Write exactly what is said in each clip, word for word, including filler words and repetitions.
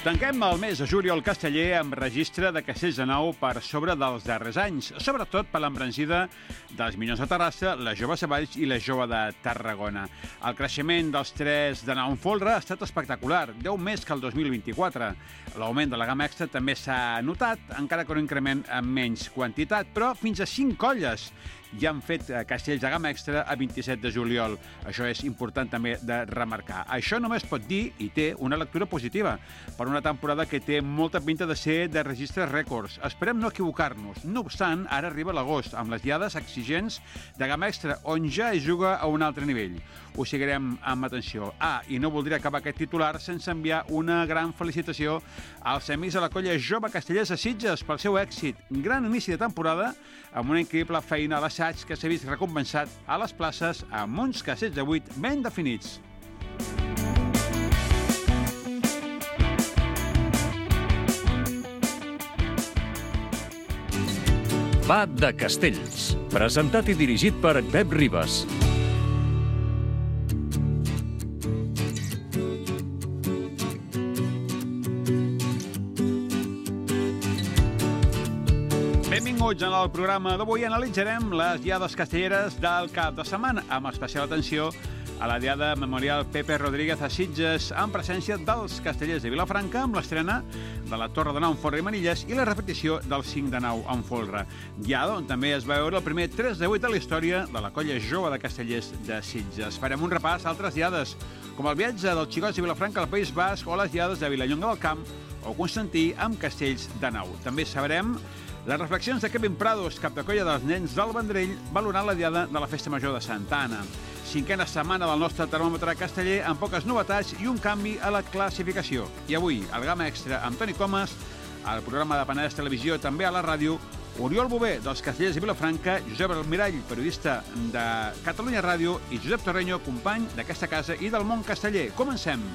Tanquem el mes de juliol casteller amb registre de castells de nou per sobre dels darrers anys, sobretot per l'embranzida dels Minyons de Terrassa, la Jove de Valls i la Jove de Tarragona. El creixement dels tres de nou en folre ha estat espectacular, deu més que el dos mil vint-i-quatre. L'augment de la gamma extra també s'ha notat, encara que un increment amb menys quantitat, però fins a cinc colles ja han fet castells de gamma extra a vint-i-set de juliol. Això és important també de remarcar. Això només pot dir, i té, una lectura positiva per una temporada que té molta pinta de ser de registres rècords. Esperem no equivocar-nos. No obstant, ara arriba l'agost, amb les diades exigents de gamma extra, on ja es juga a un altre nivell. Ho seguirem amb atenció. Ah, i no voldria acabar aquest titular sense enviar una gran felicitació als amics de la colla Jove Castellers de Sitges pel seu èxit. Gran inici de temporada, amb una increïble feina a l'assaig que s'ha vist recompensat a les places amb uns castells de vuit ben definits. Va de Castells, presentat i dirigit per Pep Ribas. Benvinguts en el programa d'avui. Analitzarem les diades castelleres del cap de setmana, amb especial atenció a la diada memorial Pepe Rodríguez a Sitges, en presència dels castellers de Vilafranca, amb l'estrena de la Torre de Nou en Folre i Manilles i la repetició del cinc de nou en Folre. Diada on també es va veure el primer tres de vuit de la història de la colla Jove de Castellers de Sitges. Farem un repàs a altres diades, com el viatge dels xicots de Vilafranca al País Basc o les diades de Vilallonga del Camp o Constantí amb castells de nou. També sabrem les reflexions de Kevin Prados, cap de colla dels nens del Vendrell, valorant la diada de la Festa Major de Santa Anna. Cinquena setmana del nostre termòmetre casteller, amb poques novetats i un canvi a la classificació. I avui, el Gamma Extra amb Toni Comas, al programa de Penedès Televisió, també a la ràdio, Oriol Bové, dels castellers de Vilafranca, Josep Almirall, periodista de Catalunya Ràdio, i Josep Torreño, company d'aquesta casa i del món casteller. Comencem!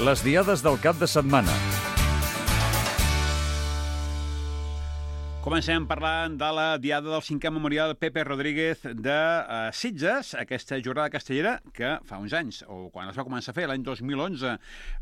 Les diades del cap de setmana. Comencem parlant de la diada del cinquè memorial Pepe Rodríguez de uh, Sitges, aquesta jornada castellera que fa uns anys, o quan es va començar a fer, l'any dos mil onze,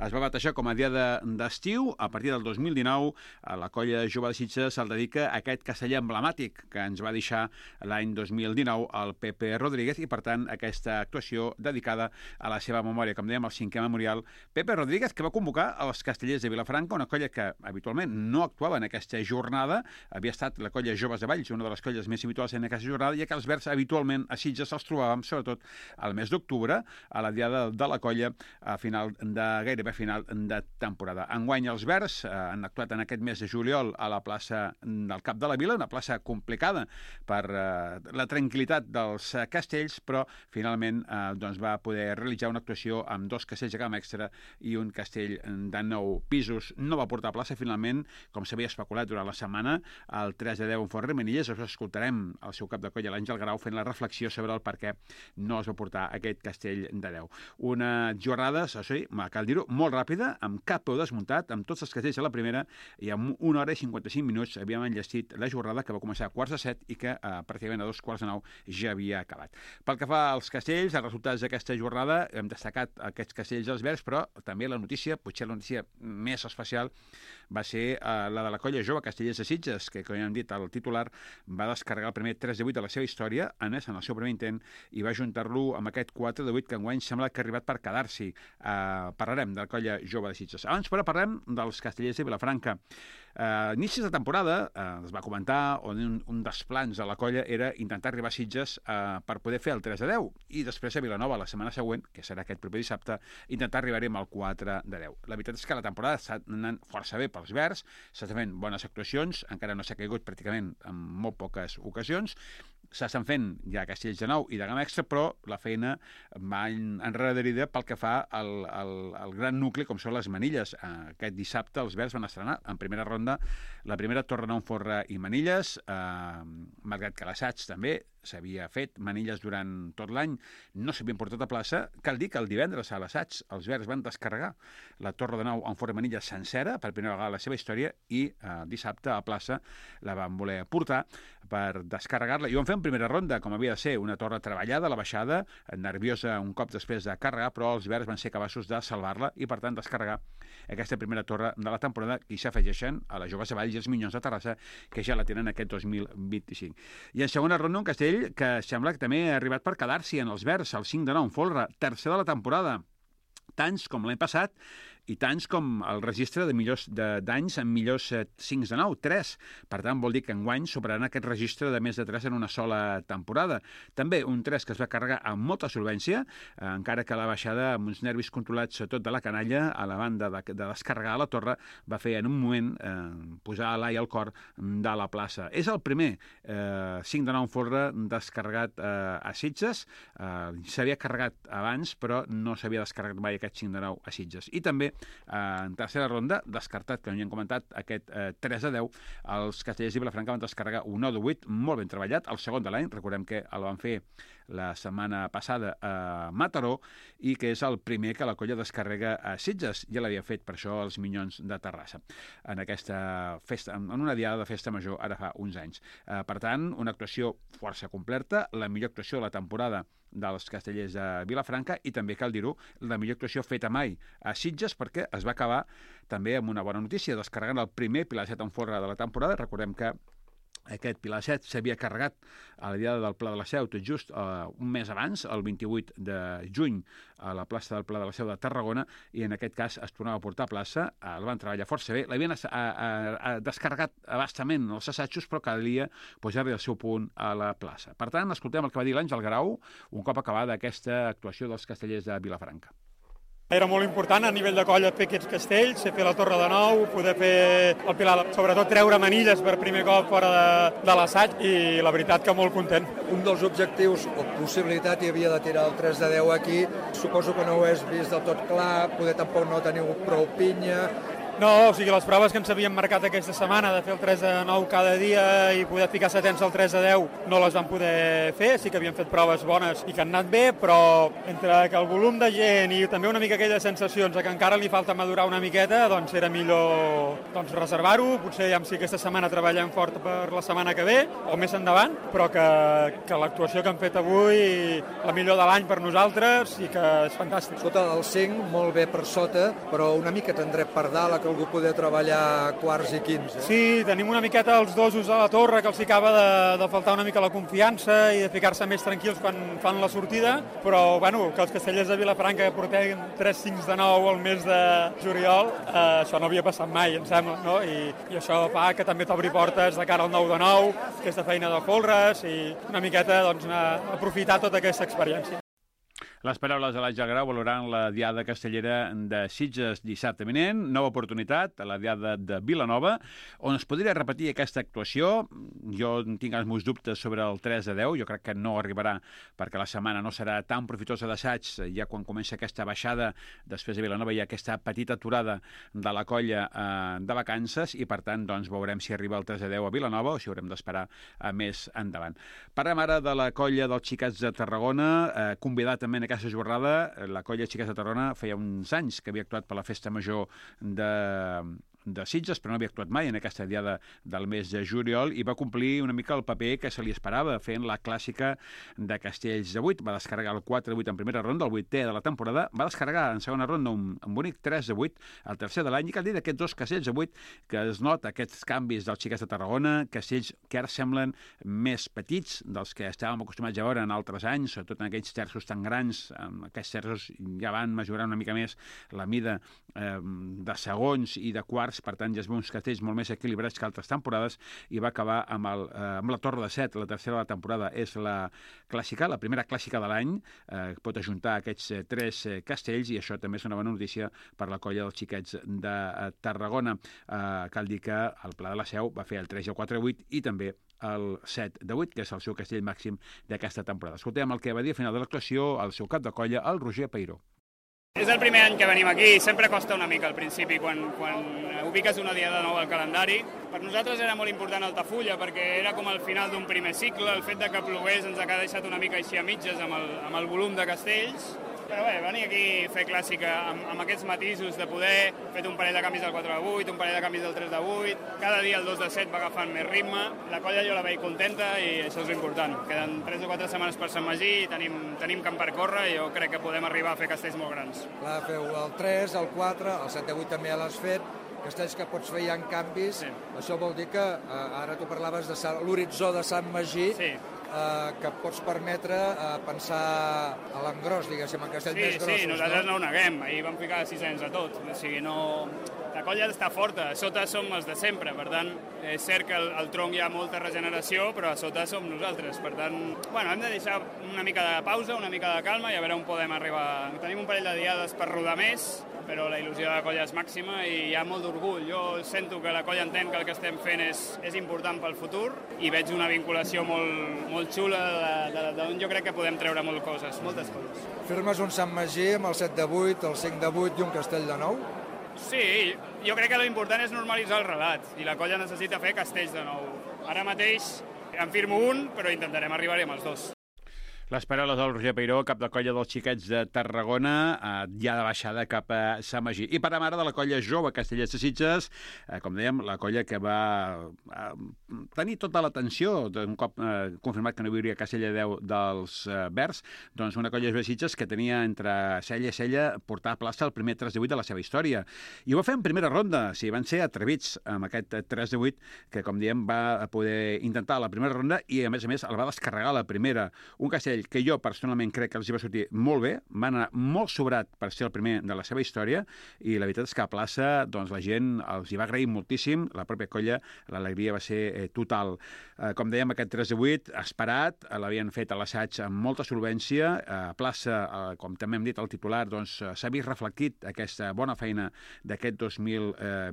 es va batejar com a diada d'estiu. A partir del dos mil dinou, la colla Jove de Sitges se'l dedica a aquest casteller emblemàtic que ens va deixar l'any dos mil dinou el Pepe Rodríguez i, per tant, aquesta actuació dedicada a la seva memòria, com dèiem, el cinquè memorial Pepe Rodríguez, que va convocar els castellers de Vilafranca, una colla que habitualment no actuava en aquesta jornada. Havia estat la colla Joves de Valls, una de les colles més habituals en aquesta jornada, ja que els verds habitualment a Sitges els trobàvem, sobretot al mes d'octubre, a la diada de la colla a final de, gairebé final de temporada. Enguany els verds eh, han actuat en aquest mes de juliol a la plaça del Cap de la Vila, una plaça complicada per eh, la tranquil·litat dels eh, castells, però finalment eh, doncs va poder realitzar una actuació amb dos castells de gamma extra i un castell de nou pisos. No va portar plaça finalment, com s'havia especulat durant la setmana, el tres de deu en Folre i Manilles. Això escoltarem el seu cap de colla, l'Àngel Grau, fent la reflexió sobre el per què no es va portar aquest castell de deu. Una jornada, això sí, cal dir-ho, molt ràpida, amb cap peu desmuntat, amb tots els castells a la primera, i amb una hora i cinquanta-cinc minuts havíem enllestit la jornada, que va començar a quarts de set i que eh, pràcticament a dos quarts de nou ja havia acabat. Pel que fa als castells, els resultats d'aquesta jornada, hem destacat aquests castells dels verds, però també la notícia, potser la notícia més especial, va ser eh, la de la colla Jove Castellers de Sitges, que, com ja hem dit, el titular va descarregar el primer tres de vuit de la seva història, en en el seu primer intent, i va ajuntar-lo amb aquest quatre de vuit que enguany sembla que ha arribat per quedar-s'hi. Uh, parlarem de la colla Jove de Sitges. Abans, però, parlem dels castellers de Vilafranca. Uh, inicis de temporada, uh, es va comentar, on un, un dels plans de la colla era intentar arribar a Sitges uh, per poder fer el tres de deu, i després a Vilanova, la setmana següent, que serà aquest proper dissabte, intentar arribar-hi amb el quatre de deu. La veritat és que la temporada està anant força bé pels verds, s'estan fent bones actuacions, encara no s'ha caigut pràcticament en molt poques ocasions, s'estan fent ja castells de nou i de gamma extra, però la feina va enrederida pel que fa al, al, al gran nucli, com són les Manilles. Aquest dissabte els verds van estrenar en primera ronda la primera Torre Nou en Folre i Manilles, eh, malgrat que l'assaig també s'havia fet manilles durant tot l'any, no s'havien portat a plaça. Cal dir que el divendres a l'assaig els Verds van descarregar la Torre de Nou en forma de manilla sencera per primera vegada a la seva història i eh, dissabte a plaça la van voler portar per descarregar-la. I ho van fer en primera ronda, com havia de ser, una torre treballada, la baixada, nerviosa un cop després de carregar, però els Verds van ser capaços de salvar-la i, per tant, descarregar aquesta primera torre de la temporada i s'afegeixen a la Jove Savall i els Minyons de Terrassa, que ja la tenen aquest dos mil vint-i-cinc. I en segona ronda un castell que sembla que també ha arribat per quedar-s'hi en els Verds, el cinc de nou, Folre, tercer de la temporada. Tants com l'any passat i tants com el registre de millors d'anys en millors cinc de nou, tres. Per tant, vol dir que enguany superaran aquest registre de més de tres en una sola temporada. També un tres que es va carregar amb molta solvència, eh, encara que la baixada amb uns nervis controlats, sobretot de la canalla, a la banda de, de descarregar a la torre, va fer en un moment eh, posar l'ai al cor de la plaça. És el primer eh, cinc de nou Folre descarregat eh, a Sitges. Eh, s'havia carregat abans, però no s'havia descarregat mai aquest cinc de nou a Sitges. I també Eh, en tercera ronda, descartat, que no hi hem comentat, aquest eh, tres a deu, els castellers de Vilafranca van descarregar un nou de vuit, molt ben treballat, el segon de l'any, recordem que el van fer la setmana passada a Mataró, i que és el primer que la colla descarrega a Sitges. Ja l'havia fet, per això, els Minyons de Terrassa, en aquesta festa, en una diada de festa major, ara fa uns anys. Eh, per tant, una actuació força completa, la millor actuació de la temporada dels castellers de Vilafranca i també, cal dir-ho, la millor actuació feta mai a Sitges, perquè es va acabar també amb una bona notícia, descarregant el primer Pilar set en folre de la temporada. Recordem que aquest Pilar set s'havia carregat a la diada del Pla de la Seu tot just uh, un mes abans, el vint-i-vuit de juny, a la plaça del Pla de la Seu de Tarragona, i en aquest cas es tornava a portar a plaça, uh, el van treballar força bé, l'havien uh, uh, descarregat abastament els assajos, però calia posar-li el seu punt a la plaça. Per tant, escoltem el que va dir l'Àngel Grau un cop acabada aquesta actuació dels castellers de Vilafranca. Era molt important a nivell de colla fer aquests castells, fer la Torre de Nou, poder fer el Pilar, sobretot treure manilles per primer cop fora de, de l'assaig, i la veritat que molt content. Un dels objectius o possibilitat hi havia de tirar el tres de deu aquí, suposo que no ho has vist del tot clar, poder tampoc no teniu prou pinya. No, o sigui, les proves que ens havíem marcat aquesta setmana de fer el tres de nou cada dia i poder ficar setens al tres de deu no les vam poder fer, sí que havíem fet proves bones i que han anat bé, però entre que el volum de gent i també una mica aquelles sensacions que encara li falta madurar una miqueta, doncs era millor doncs, reservar-ho, potser ja si aquesta setmana treballem fort per la setmana que ve o més endavant, però que, que l'actuació que han fet avui la millor de l'any per nosaltres i que és fantàstic. Sota el cinc, molt bé per sota, però una mica tendrem per dalt a que algú poder treballar quarts i quinze. Eh? Sí, tenim una miqueta els dosos a la torre que els acaba de, de faltar una mica la confiança i de ficar-se més tranquils quan fan la sortida, però bueno, que els castellers de Vilafranca que portem tres cinc de nou al mes de juliol, eh, això no havia passat mai, em sembla, no? I, i això fa que també t'obri portes de cara al nou de nou, aquesta feina de folres i una miqueta doncs, aprofitar tota aquesta experiència. Les paraules de l'Àngel Grau valorant la diada castellera de Sitges dissabte vinent, nova oportunitat a la diada de Vilanova, on es podria repetir aquesta actuació. Jo tinc els meus dubtes sobre el tres de deu, jo crec que no arribarà perquè la setmana no serà tan profitosa d'assaig, ja quan comença aquesta baixada després de Vilanova hi ha aquesta petita aturada de la colla eh, de vacances i per tant doncs, veurem si arriba el tres de deu a Vilanova o si haurem d'esperar a més endavant. Parlem ara de la colla dels Xiquets de Tarragona, eh, convidat també en aquesta jornada. La colla Xiquets de Tarragona feia uns anys que havia actuat per la festa major de de Sitges, però no havia actuat mai en aquesta diada del mes de juliol i va complir una mica el paper que se li esperava, fent la clàssica de castells de vuit. Va descarregar el quatre de vuit en primera ronda, el vuitè de la temporada, va descarregar en segona ronda un, un bonic tres de vuit, el tercer de l'any, i cal dir d'aquests dos castells de vuit que es nota aquests canvis dels Xiquets de Tarragona, castells que ara semblen més petits dels que estàvem acostumats a veure en altres anys, sobretot en aquells terços tan grans. Aquests terços ja van mesurar una mica més la mida eh, de segons i de quarts, per tant ja es veu uns castells molt més equilibrats que altres temporades, i va acabar amb, el, eh, amb la Torre de Set. La tercera de la temporada és la clàssica, la primera clàssica de l'any, eh, pot ajuntar aquests eh, tres eh, castells, i això també és una bona notícia per la colla dels Xiquets de eh, Tarragona. Eh, cal dir que el Pla de la Seu va fer el tres i el quatre de vuit i també el set de vuit, que és el seu castell màxim d'aquesta temporada. Escoltem el que va dir a final de l'actuació el seu cap de colla, el Roger Peiró. És el primer any que venim aquí, sempre costa una mica al principi quan, quan ubiques una diada nova al calendari. Per nosaltres era molt important Altafulla perquè era com el final d'un primer cicle, el fet de que plogués ens ha deixat una mica així a mitges amb el, amb el volum de castells. Però bé, venir aquí a fer clàssica amb, amb aquests matisos de poder, fet un parell de canvis del quatre de vuit, un parell de canvis del tres de vuit, cada dia el dos de set va agafant més ritme, la colla jo la veig contenta i això és important. Queden tres o quatre setmanes per Sant Magí i tenim, tenim camp per córrer i jo crec que podem arribar a fer castells molt grans. Clar, feu el tres, el quatre, el set de vuit també ja l'has fet, castells que pots fer ja en canvis, sí. Això vol dir que eh, ara tu parlaves de l'horitzó de Sant Magí, sí. Eh, que pots permetre eh, pensar a l'engròs, diguéssim, en castells sí, més grossos. Sí, nosaltres no? no ho neguem, ahir vam ficar sis-cents a tot, o sigui, no... La colla està forta, a sota som els de sempre, per tant, és cert que el, el tronc hi ha molta regeneració, però a sota som nosaltres, per tant, bueno, hem de deixar una mica de pausa, una mica de calma i a veure on podem arribar. Tenim un parell de diades per rodar més, però la il·lusió de la colla és màxima i hi ha molt d'orgull. Jo sento que la colla entén que el que estem fent és, és important pel futur i veig una vinculació molt, molt xula d'on jo crec que podem treure moltes coses, moltes coses. Firmes un Sant Magí amb el set de vuit, el cinc de vuit i un castell de nou? Sí, jo crec que l'important és normalitzar el relat i la colla necessita fer castells de nou. Ara mateix en firmo un, però intentarem arribar-hi amb els dos. Les paraules del Roger Peiró, cap de colla dels xiquets de Tarragona, eh, ja de baixada cap a Sant Magí. I per a mare de la colla jove Castellers de Sitges, eh, com dèiem, la colla que va eh, tenir tota l'atenció, un cop eh, confirmat que no hi hauria Castella deu dels eh, Verds, doncs una colla de Sitges que tenia entre cella i cella portar a plaça el primer tres de vuit de la seva història. I ho va fer en primera ronda, sí, van ser atrevits amb aquest tres de vuit, que com diem va poder intentar la primera ronda i a més a més el va descarregar la primera. Un castell que jo personalment crec que els hi va sortir molt bé, van anar molt sobrat per ser el primer de la seva història i la veritat és que a plaça doncs, la gent els hi va agrair moltíssim, la pròpia colla, l'alegria va ser eh, total. Eh, com dèiem, aquest tres de vuit esperat, eh, l'havien fet a l'assaig amb molta solvència, a plaça, eh, com també hem dit al titular, doncs s'ha vist reflectit aquesta bona feina d'aquest dos mil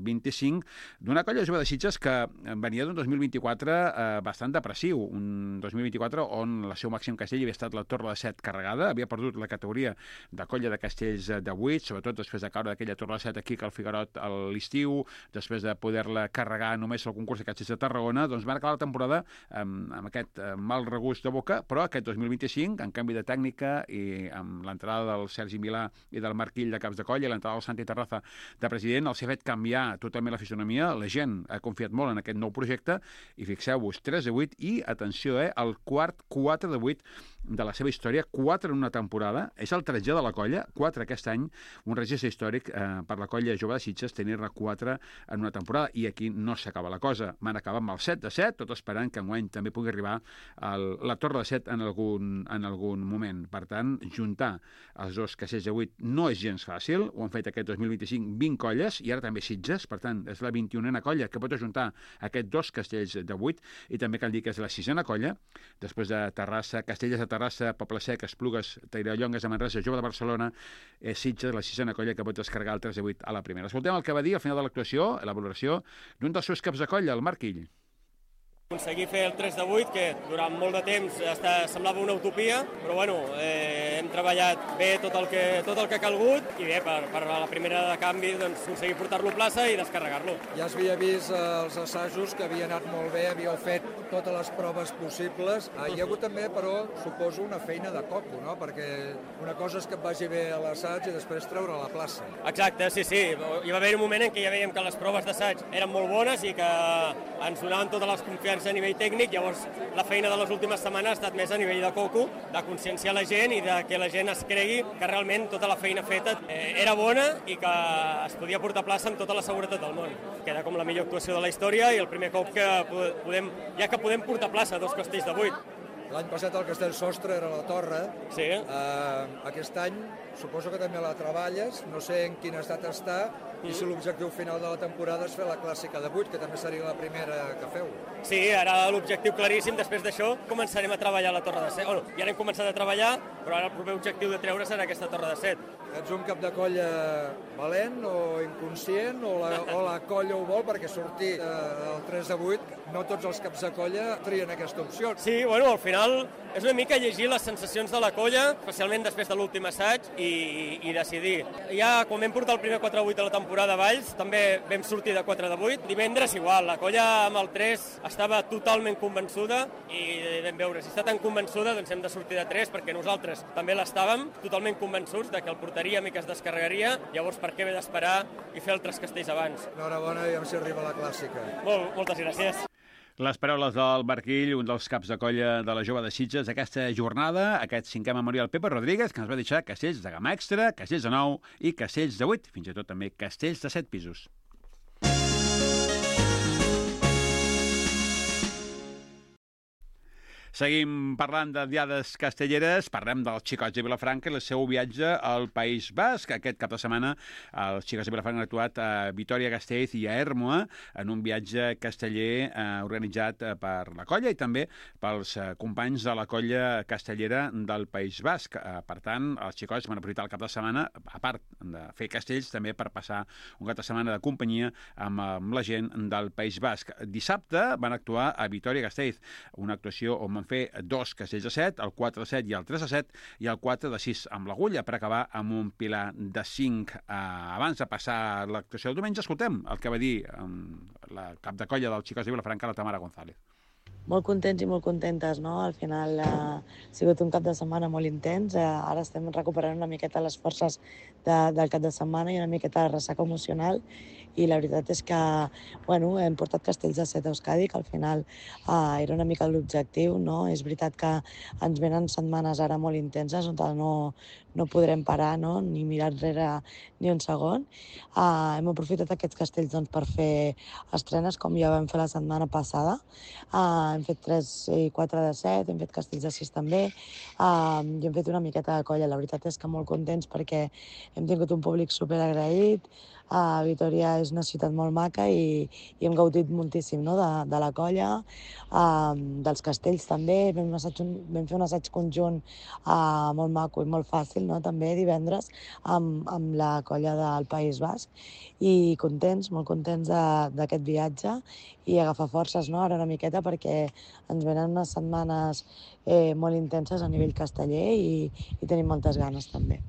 vint-i-cinc d'una colla jove de Sitges que venia d'un dos mil vint-i-quatre eh, bastant depressiu, un dos mil vint-i-quatre on el seu màxim castell havia estat la Torre de Set carregada, havia perdut la categoria de colla de castells de vuit, sobretot després de caure d'aquella Torre de Set aquí que al Figuerot a l'estiu, després de poder-la carregar només al concurs de castells de Tarragona, doncs van acabar la temporada amb, amb aquest mal regust de boca, però aquest dos mil vint-i-cinc, en canvi de tècnica i amb l'entrada del Sergi Milà i del Marquill de caps de colla i l'entrada del Santi Terraza de president, els ha fet canviar totalment la fisonomia, la gent ha confiat molt en aquest nou projecte i fixeu-vos, tres de vuit i, atenció, eh, el quart quatre de vuit de la seva història, quatre en una temporada, és el tretzè de la colla, quatre aquest any, un registre històric eh, per la colla jove de Sitges tenir-ne quatre en una temporada, i aquí no s'acaba la cosa, van acabar amb el set de set, tot esperant que enguany també pugui arribar el, la Torre de Set en algun, en algun moment. Per tant, juntar els dos castells de vuit no és gens fàcil, ho han fet aquest dos mil vint-i-cinc vint colles, i ara també Sitges, per tant, és la vint-i-unena colla que pot ajuntar aquests dos castells de vuit, i també cal dir que és la sisena colla, després de Terrassa, Castellers de Terrassa, Poble Sec, Esplugues, Tairallongues de Manresa, Jove de Barcelona, eh, Sitges, la sisena colla que pot descarregar el tres de vuit a la primera. Escoltem el que va dir al final de l'actuació, la valoració d'un dels seus caps de colla, el Marquill. Aconseguir fer el tres de vuit, que durant molt de temps hasta semblava una utopia, però bueno, eh, hem treballat bé tot el que, tot el que ha calgut i bé, per, per la primera de canvi, doncs, aconseguir portar-lo a plaça i descarregar-lo. Ja s'havia vist eh, els assajos que havia anat molt bé, havíeu fet totes les proves possibles. Ah, hi ha hagut també, però, suposo, una feina de coco, no? Perquè una cosa és que et vagi bé a l'assaig i després treure a la plaça. Exacte, sí, sí. Hi va haver un moment en què ja veiem que les proves d'assaig eren molt bones i que ens donaven totes les confiances a nivell tècnic, llavors la feina de les últimes setmanes ha estat més a nivell de coco, de conscienciar la gent i de que la gent es cregui que realment tota la feina feta eh, era bona i que es podia portar a plaça amb tota la seguretat del món. Queda com la millor actuació de la història i el primer cop que podem, ja que podem portar a plaça dos castells de vuit. L'any passat el castell sostre era la Torre. Sí. Uh, aquest any suposo que també la treballes, no sé en quin estat està, i si l'objectiu final de la temporada és fer la clàssica de vuit, que també seria la primera que feu. Sí, ara l'objectiu claríssim, després d'això començarem a treballar a la Torre de Set. Bueno, ja n'hem començat a treballar, però ara el proper objectiu de treure serà aquesta Torre de Set. Ets un cap de colla valent o inconscient, o la, o la colla ho vol, perquè sortir eh, el tres de vuit, no tots els caps de colla trien aquesta opció. Sí, bueno, al final final és una mica llegir les sensacions de la colla, especialment després de l'últim assaig, i, i decidir. Ja quan vam portar el primer quatre vuit de la temporada a Valls, també vam sortir de quatre de vuit. Divendres igual, la colla amb el tres estava totalment convençuda i vam veure, si està tan convençuda, doncs hem de sortir de tres, perquè nosaltres també l'estàvem, totalment convençuts de que el portaríem i que es descarregaria, llavors per què haver d'esperar i fer altres castells abans? Enhorabona i amb si arriba la clàssica. Molt, moltes gràcies. Les paraules del Barquill, un dels caps de colla de la Jove de Sitges, aquesta jornada, aquest cinquè memorial Pepe Rodríguez, que ens va deixar castells de gamma extra, castells de nou i castells de vuit, fins i tot també castells de set pisos. Seguim parlant de diades castelleres, parlem dels Xicots de Vilafranca i el seu viatge al País Basc. Aquest cap de setmana els Xicots de Vilafranca han actuat a Vitoria-Gasteiz i a Ermua en un viatge casteller eh, organitzat per la colla i també pels eh, companys de la colla castellera del País Basc. Eh, per tant, els Xicots van aprofitar el cap de setmana, a part de fer castells, també per passar un cap de setmana de companyia amb, amb la gent del País Basc. Dissabte van actuar a Vitoria-Gasteiz, una actuació on van fer dos castells de set, el quatre de set i el tres de set, i el quatre de sis amb l'agulla, per acabar amb un pilar de cinc. Eh, abans de passar l'actuació del diumenge, escoltem el que va dir eh, la cap de colla dels Xicots de Vilafranca, la Tamara González. Molt contents i molt contentes, no? Al final eh, ha sigut un cap de setmana molt intens. Eh, ara estem recuperant una miqueta les forces de, del cap de setmana i una miqueta de ressaca emocional. I la veritat és que bueno, hem portat castells de set a Euskadi, que al final eh, era una mica l'objectiu, no? És veritat que ens venen setmanes ara molt intenses on no, no podrem parar, no? Ni mirar enrere ni un segon. Eh, hem aprofitat aquests castells doncs, per fer estrenes, com ja vam fer la setmana passada. Eh, hem fet tres i quatre de set, hem fet castells de sis també, uh, i hem fet una miqueta de colla. La veritat és que molt contents perquè hem tingut un públic superagraït. Uh, Vitoria és una ciutat molt maca i, i hem gaudit moltíssim, no? de, de la colla, uh, dels castells també. Vam, assaig, vam fer un assaig conjunt uh, molt maco i molt fàcil, no? També divendres amb, amb la colla del País Basc, i contents, molt contents d'aquest viatge i agafar forces, no? Ara una miqueta perquè ens venen unes setmanes eh, molt intenses a nivell casteller i, i tenim moltes ganes també.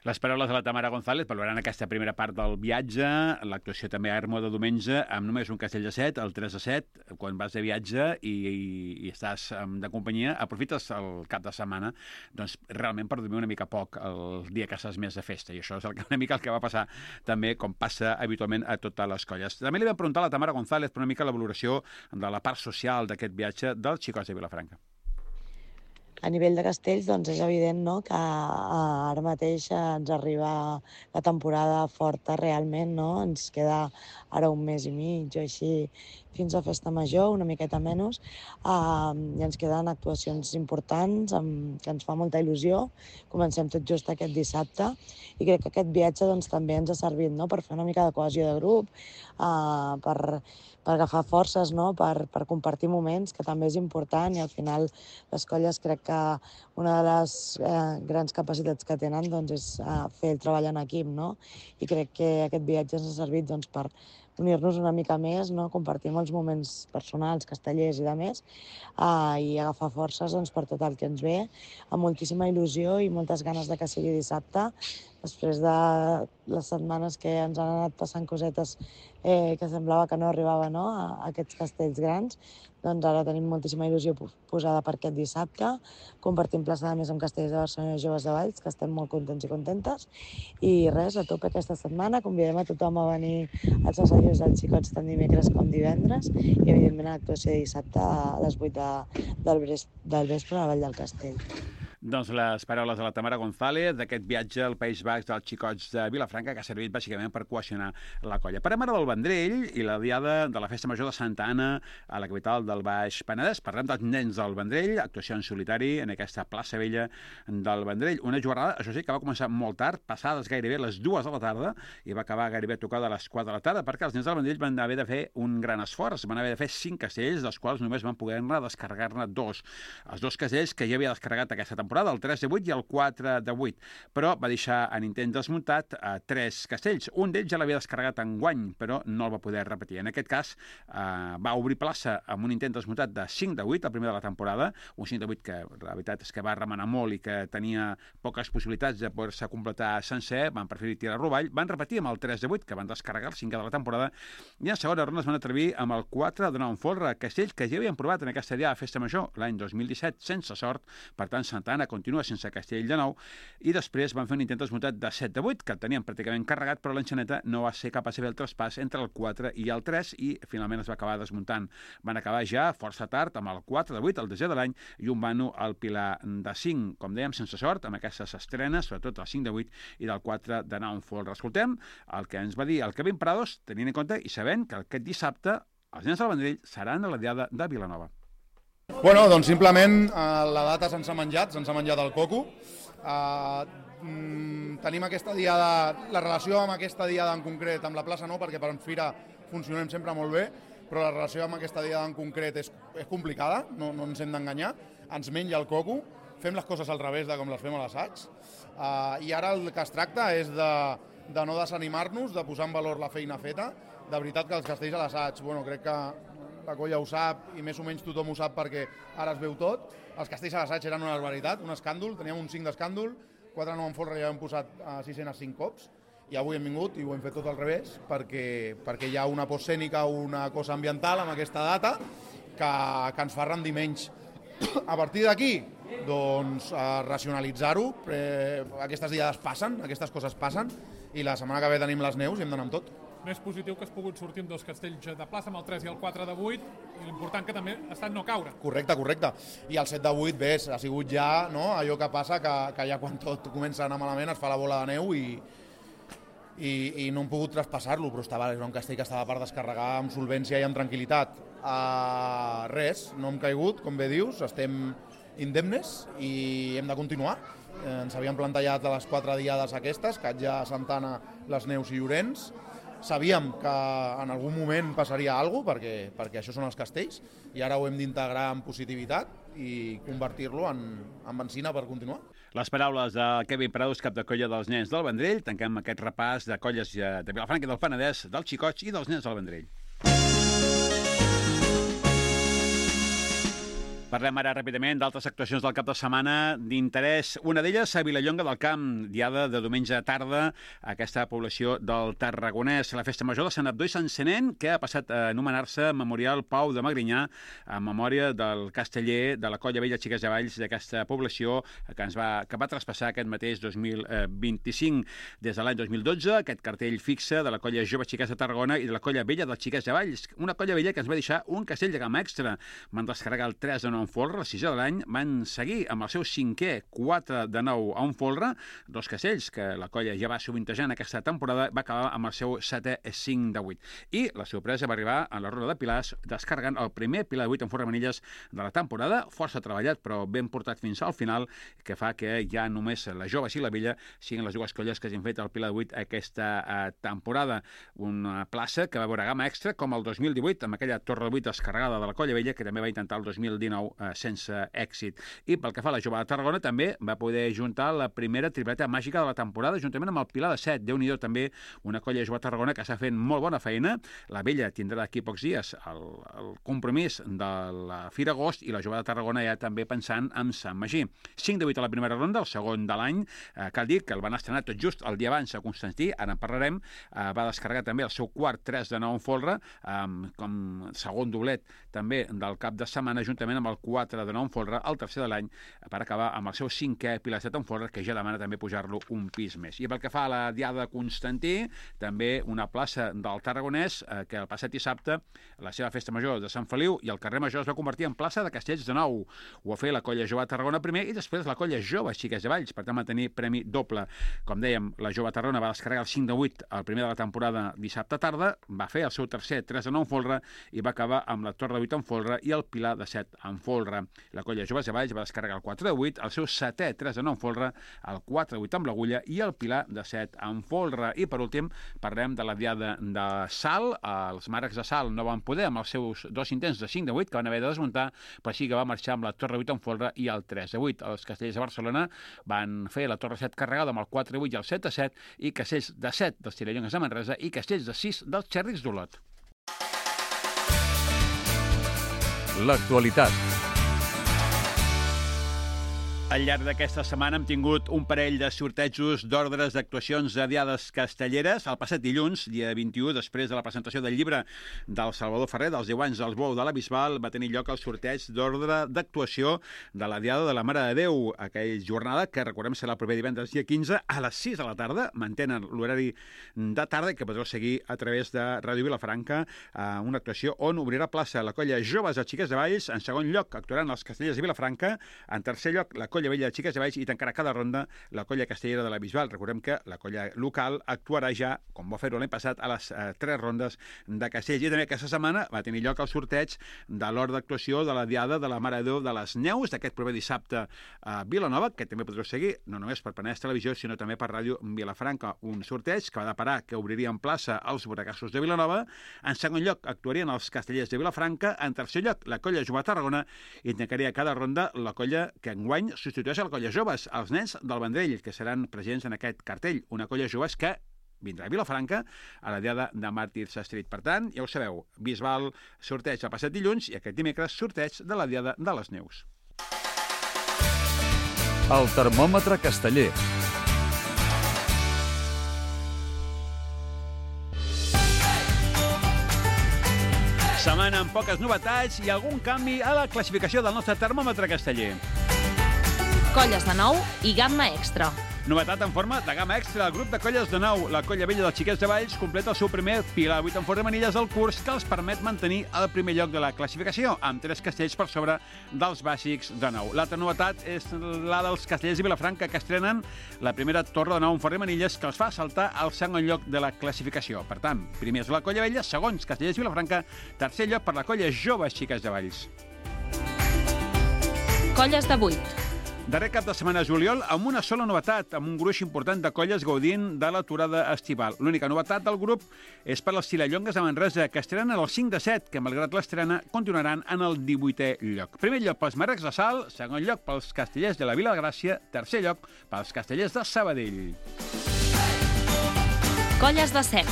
Les paraules de la Tamara González valorant aquesta primera part del viatge, l'actuació també a Ermua de diumenge, amb només un castell de set, el tres de set, quan vas de viatge i, i, i estàs de companyia, aprofites el cap de setmana doncs, realment per dormir una mica poc el dia que estàs més de festa, i això és el que, una mica el que va passar també, com passa habitualment a totes les colles. També li vam preguntar a la Tamara González per una mica la valoració de la part social d'aquest viatge dels Xicots de Vilafranca. A nivell de castells, doncs és evident, no?, que ara mateix ens arriba la temporada forta realment, no? Ens queda ara un mes i mig o així fins a Festa Major, una miqueta menys, uh, i ens queden actuacions importants amb, que ens fa molta il·lusió. Comencem tot just aquest dissabte i crec que aquest viatge doncs, també ens ha servit, no?, per fer una mica de cohesió de grup, uh, per, per agafar forces, no?, per, per compartir moments, que també és important, i al final les colles crec que una de les eh, grans capacitats que tenen doncs, és uh, fer el treball en equip, no? I crec que aquest viatge ens ha servit doncs, per unir-nos una mica més, no? Compartir molts moments personals, castellers i de més, uh, i agafar forces doncs, per tot el que ens ve, amb moltíssima il·lusió i moltes ganes de que sigui dissabte, després de les setmanes que ens han anat passant cosetes eh, que semblava que no arribava, no?, a aquests castells grans. Doncs ara tenim moltíssima il·lusió posada per aquest dissabte, compartim plaça de més amb Castellers de Barcelona i Joves de Valls, que estem molt contents i contentes. I res, a tope aquesta setmana, convidem a tothom a venir als assajos dels Xicots tant dimecres com divendres, i evidentment a l'actuació de dissabte a les vuit de, del, del vespre a la Vall del Castell. Doncs les paraules de la Tamara González d'aquest viatge al País Basc dels Xicots de Vilafranca, que ha servit bàsicament per cohesionar la colla. Parlem ara del Vendrell i la diada de la Festa Major de Santa Anna a la capital del Baix Penedès. Parlem dels nens del Vendrell, actuació en solitari en aquesta plaça vella del Vendrell. Una jornada, això sí, que va començar molt tard, passades gairebé les dues de la tarda, i va acabar gairebé tocada a les quatre de la tarda, perquè els nens del Vendrell van haver de fer un gran esforç, van haver de fer cinc castells, dels quals només van poder descarregar-ne dos. Els dos castells que ja havia descarregat aquesta temporada temporada, el tres de vuit i el quatre de vuit, però va deixar en intent desmuntat a tres castells. Un d'ells ja l'havia descarregat en guany, però no el va poder repetir. En aquest cas, eh, va obrir plaça amb un intent desmuntat de cinc de vuit, el primer de la temporada, un cinc de vuit que la veritat és que va remenar molt i que tenia poques possibilitats de poder-se completar sencer, van preferir tirar rovall, van repetir amb el tres de vuit, que van descarregar el cinquè de la temporada, i en segona ronda es van atrevir amb el quatre de nou en folre, castell que ja havien provat en aquesta dia a Festa Major l'any dos mil disset sense sort, per tant Santa Anna continua sense castell de nou, i després van fer un intent desmuntat de set de vuit, que el tenien pràcticament carregat, però l'enxaneta no va ser capaç de fer el traspàs entre el quatre i el tres, i finalment es va acabar desmuntant. Van acabar ja força tard amb el quatre de vuit, el desè de l'any, i un vano al pilar de cinc, com dèiem, sense sort, amb aquestes estrenes, sobretot el cinc de vuit i del quatre de nou en folre. Escoltem el que ens va dir el Kevin Prados, tenint en compte i sabent que aquest dissabte els nens del Vendrell seran a la diada de Vilanova. Bueno, doncs simplement eh, la data se'ns ha menjat, se'ns ha menjat el coco. Eh, mm, tenim aquesta diada, la relació amb aquesta diada en concret, amb la plaça no, perquè per Fira funcionem sempre molt bé, però la relació amb aquesta diada en concret és, és complicada, no, no ens hem d'enganyar, ens menja el coco, fem les coses al revés de com les fem a l'assaig, eh, i ara el que es tracta és de, de no desanimar-nos, de posar en valor la feina feta. De veritat que els castells a l'assaig, bueno, crec que la colla ho sap i més o menys tothom ho sap perquè ara es veu tot. Els castells a l'assaig eren una barbaritat, un escàndol, teníem un cinc d'escàndol, quatre nou en folre ja hem posat a sis-cents cinc cops, i avui hem vingut i ho hem fet tot al revés perquè, perquè hi ha una postcènica, una cosa ambiental amb aquesta data que, que ens fa rendir menys. A partir d'aquí, doncs, racionalitzar-ho, eh, aquestes diades passen, aquestes coses passen, i la setmana que ve tenim les neus i hem d'anar amb tot. Més positiu que has pogut sortir amb dos castells de plaça, amb el tres i el quatre de vuit, i l'important que també ha estat no caure. Correcte, correcte. I el set de vuit, ves, ha sigut ja no, allò que passa, que, que ja quan tot comença a anar malament es fa la bola de neu i, i, i no hem pogut traspassar-lo, però estava, era un castell que estava per descarregar amb solvència i amb tranquil·litat. Uh, res, no hem caigut, com bé dius, estem indemnes i hem de continuar. Eh, ens havíem plantejat a les quatre diades aquestes, Catja, Santana, les Neus i Llorenç. Sabíem que en algun moment passaria alguna cosa, perquè, perquè això són els castells, i ara ho hem d'integrar en positivitat i convertir-lo en, en benzina per continuar. Les paraules de Kevin Prados, cap de colla dels nens del Vendrell. Tanquem aquest repàs de colles de Vilafranca i del Penedès, dels xicots i dels nens del Vendrell. Parlem ara ràpidament d'altres actuacions del cap de setmana d'interès. Una d'elles a Vilallonga del Camp, diada de diumenge a tarda, aquesta població del Tarragonès. La Festa Major de Sant Abdó i Sant Senent, que ha passat a anomenar-se Memorial Pau de Magrinyà, en memòria del casteller de la Colla Vella Xiques de Valls d'aquesta població que ens va, que va traspassar aquest mateix dos mil vint-i-cinc. Des de l'any dos mil dotze, aquest cartell fixe de la Colla Jove Xiques de Tarragona i de la Colla Vella dels Xiques de Valls. Una colla vella que ens va deixar un castell de gamma extra. Van descarregar el tres de nou en folre, la sisè de l'any, van seguir amb el seu cinquè quatre de nou a un folre, dos castells que la colla ja va sovintejant aquesta temporada, va acabar amb el seu setè cinc de vuit. I la sorpresa va arribar a la ronda de pilars, descarregant el primer pilar de vuit en folre manilles de la temporada, força treballat però ben portat fins al final, que fa que ja només la Jove i la Vella siguin les dues colles que hagin fet el pilar de vuit aquesta eh, temporada. Una plaça que va veure gamma extra com el dos mil divuit, amb aquella torre de vuit descarregada de la Colla Vella, que també va intentar el dos mil dinou eh, sense èxit. I pel que fa a la Jove de Tarragona, també va poder juntar la primera tripleta màgica de la temporada, juntament amb el Pilar de set. Déu-n'hi-do també una colla Jove de Tarragona que està fent molt bona feina. La Vella tindrà d'aquí pocs dies el, el compromís de la Fira Agost i la Jove de Tarragona ja també pensant en Sant Magí. cinc de vuit a la primera ronda, el segon de l'any. Eh, cal dir que el van estrenar tot just el dia abans a Constantí, ara en parlarem. Eh, va descarregar també el seu quart tres de nou en folre, eh, com segon doblet també del cap de setmana, juntament amb el quatre de nou en folre, el tercer de l'any, per acabar amb el seu cinquè pilar set en folre, que ja demana també pujar-lo un pis més. I pel que fa a la diada de Constantí, també una plaça del Tarragonès, eh, que el passat dissabte, la seva festa major de Sant Feliu i el carrer Major es va convertir en plaça de castells de nou. Ho va fer la colla Jove de Tarragona primer i després la colla Jove Xiques de Valls, per tant va tenir premi doble. Com dèiem, la Jove de Tarragona va descarregar el cinc de vuit el primer de la temporada dissabte tarda, va fer el seu tercer tres de nou en folre i va acabar amb la torre de vuit en folre i el pilar de set en folre. folre. La colla Joves de Valls va descarregar el quatre de vuit, el seu setè tres de nou en folre, el quatre de vuit amb l'agulla i el Pilar de set en folre. I per últim parlem de la diada de Salt. Els marcs de Salt no van poder amb els seus dos intents de cinc de vuit que van haver de desmuntar, però sí que va marxar amb la torre vuit en folre i el tres de vuit. Els castellers de Barcelona van fer la torre set carregada amb el quatre de vuit i el set de set, i castells de set dels Tirallongues de Manresa i castells de sis dels Xèrrics d'Olot. L'actualitat. Al llarg d'aquesta setmana hem tingut un parell de sortejos d'ordres d'actuacions de diades castelleres. El passat dilluns, dia vint-i-u, després de la presentació del llibre del Salvador Ferrer, dels deu anys dels Bou de la Bisbal, va tenir lloc el sorteig d'ordre d'actuació de la diada de la Mare de Déu. Aquella jornada, que recordem serà el proper divendres dia quinze, a les sis de la tarda, mantenen l'horari de tarda, que podreu seguir a través de Ràdio Vilafranca, una actuació on obrirà plaça la colla Joves de Xiques de Valls. En segon lloc actuaran els castellers de Vilafranca. En tercer lloc, la colla Vella de Xiques de Valls, i tancarà cada ronda la colla castellera de la Bisbal. Recordem que la colla local actuarà ja, com va fer-ho l'any passat, a les eh, tres rondes de castells. I també aquesta setmana va tenir lloc el sorteig de l'hora d'actuació de la diada de la Mare de Déu de les Neus, d'aquest proper dissabte a Vilanova, que també podreu seguir, no només per Penedès Televisió, sinó també per Ràdio Vilafranca. Un sorteig que va deparar que obriria en plaça els Boracassos de Vilanova. En segon lloc actuarien els castellers de Vilafranca. En tercer lloc, la colla Jove de Tarragona, i tancaria cada ronda la colla que enguany substitueix a la colla Joves, els nens del Vendrell, que seran presents en aquest cartell. Una colla Joves que vindrà a Vilafranca a la diada de Màrtirs Street. Per tant, ja ho sabeu, Bisbal sorteig el passat dilluns i aquest dimecres sorteig de la diada de les Neus. El termòmetre casteller. Setmana amb poques novetats i algun canvi a la classificació del nostre termòmetre casteller. Colles de nou i gamma extra. Novetat en forma de gamma extra del grup de colles de nou. La colla vella dels Xiquets de Valls completa el seu primer Pilar vuit en forma de manilles al curs, que els permet mantenir el primer lloc de la classificació, amb tres castells per sobre dels bàsics de nou. L'altra novetat és la dels castellers de Vilafranca, que estrenen la primera torre de nou en forma de manilles, que els fa saltar al segon lloc de la classificació. Per tant, primers la colla vella, segons castellers de Vilafranca, tercer lloc per la colla Joves Xiquets de Valls. Colles de vuit. Darrer cap de setmana juliol, amb una sola novetat, amb un gruix important de colles gaudint de l'aturada estival. L'única novetat del grup és per les Tirallongues de Manresa, que estrenen el cinc de set, que malgrat l'estrena continuaran en el divuitè lloc. Primer lloc pels Marrecs de Salt, segon lloc pels castellers de la Vila de Gràcia, tercer lloc pels castellers de Sabadell. Colles de set.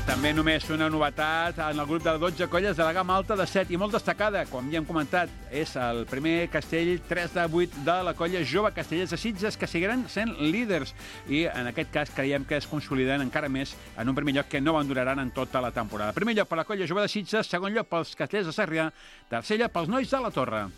També només una novetat en el grup de dotze colles de la gamma alta de set i molt destacada, com ja hem comentat, és el primer castell tres de vuit de la colla Jove Castellers de Sitges, que seguiran sent líders i en aquest cas creiem que es consoliden encara més en un primer lloc que no abanduraran en tota la temporada. Primer lloc per la colla Jove de Sitges, segon lloc pels castellers de Sarrià, tercer lloc pels nois de la Torre.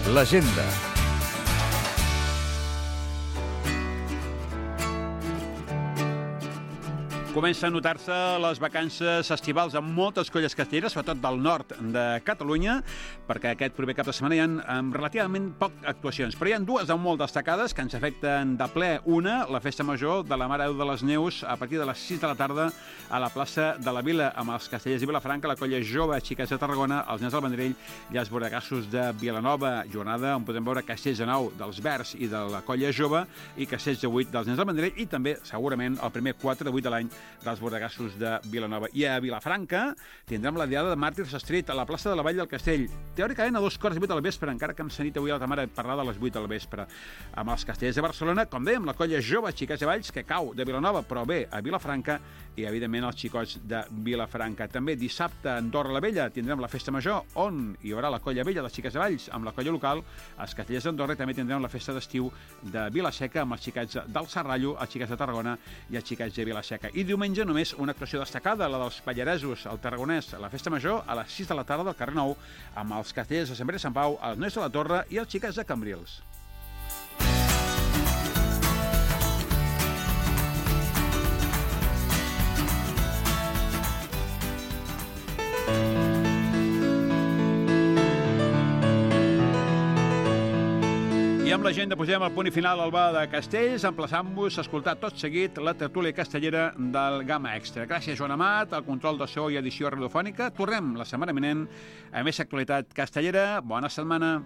L'agenda. Comença a notar-se les vacances estivals amb moltes colles castelleres, sobretot del nord de Catalunya, perquè aquest proper cap de setmana hi ha relativament poc actuacions. Però hi ha dues de molt destacades que ens afecten de ple. Una, la festa major de la Mare de Déu de les Neus, a partir de les sis de la tarda a la plaça de la Vila, amb els castellers de Vilafranca, la colla Jove Xiquets de Tarragona, els nens del Vendrell i els Boracassos de Vilanova. Jornada on podem veure castells de nou dels Verds i de la colla Jove i castells de vuit dels nens del Vendrell i també, segurament, el primer quatre de vuit de l'any dels Boracassos de Vilanova. I a Vilafranca tindrem la diada de Màrtirs Street a la plaça de la Vall del Castell. Teòricament a dos quarts de vuit del vespre, encara que hem sentit avui a la ta mare parlar de les vuit del vespre. Amb els castellers de Barcelona, com dèiem, la colla Jove Xiquets de Valls, que cau de Vilanova, però bé a Vilafranca, i evidentment els xicots de Vilafranca. També dissabte a Andorra la Vella tindrem la festa major, on hi haurà la colla vella de Xiquets de Valls amb la colla local, els castellers d'Andorra, i també tindrem la festa d'estiu de Vilaseca amb els xiquets del Serrallo, els xiquets de Tarragona i els xiquets de Vilaseca. I diumenge només una actuació destacada, la dels Pallaresos, al Tarragonès, a la festa major, a les sis de la tarda del carrer Nou, amb els castellers de Sant Pere i Sant Pau, els nois de la Torre i els xiquets de Cambrils. amb l'agenda posem el punt i final al bar de Castells, emplaçant-vos a escoltar tot seguit la tertúlia castellera del Gamma Extra. Gràcies, Joan Amat, al control de so i edició radiofònica. Tornem la setmana vinent a més actualitat castellera. Bona setmana.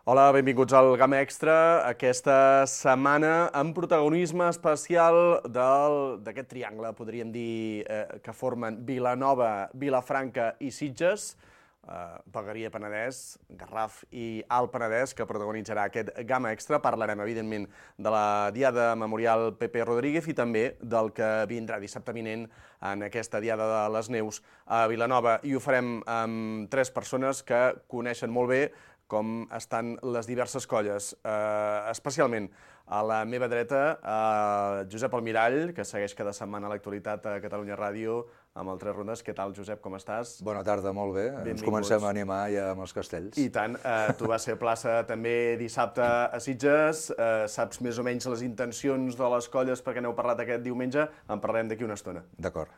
Hola, benvinguts al Gamma Extra, aquesta setmana amb protagonisme especial d'aquest triangle, podríem dir, eh, que formen Vilanova, Vilafranca i Sitges, eh, Vegueria Penedès, Garraf i Alt Penedès, que protagonitzarà aquest Gamma Extra. Parlarem, evidentment, de la Diada Memorial Pepe Rodríguez i també del que vindrà dissabte vinent en aquesta Diada de les Neus a Vilanova. I ho farem amb tres persones que coneixen molt bé com estan les diverses colles, eh, especialment a la meva dreta, eh, Josep Almirall, que segueix cada setmana l'actualitat a Catalunya Ràdio amb el Tres Rondes. Què tal, Josep, com estàs? Bona tarda, molt bé. Benvinguts. Ens comencem a animar ja amb els castells. I tant. Eh, tu vas ser plaça també dissabte a Sitges. Eh, saps més o menys les intencions de les colles perquè n'heu parlat aquest diumenge. En parlarem d'aquí una estona. D'acord.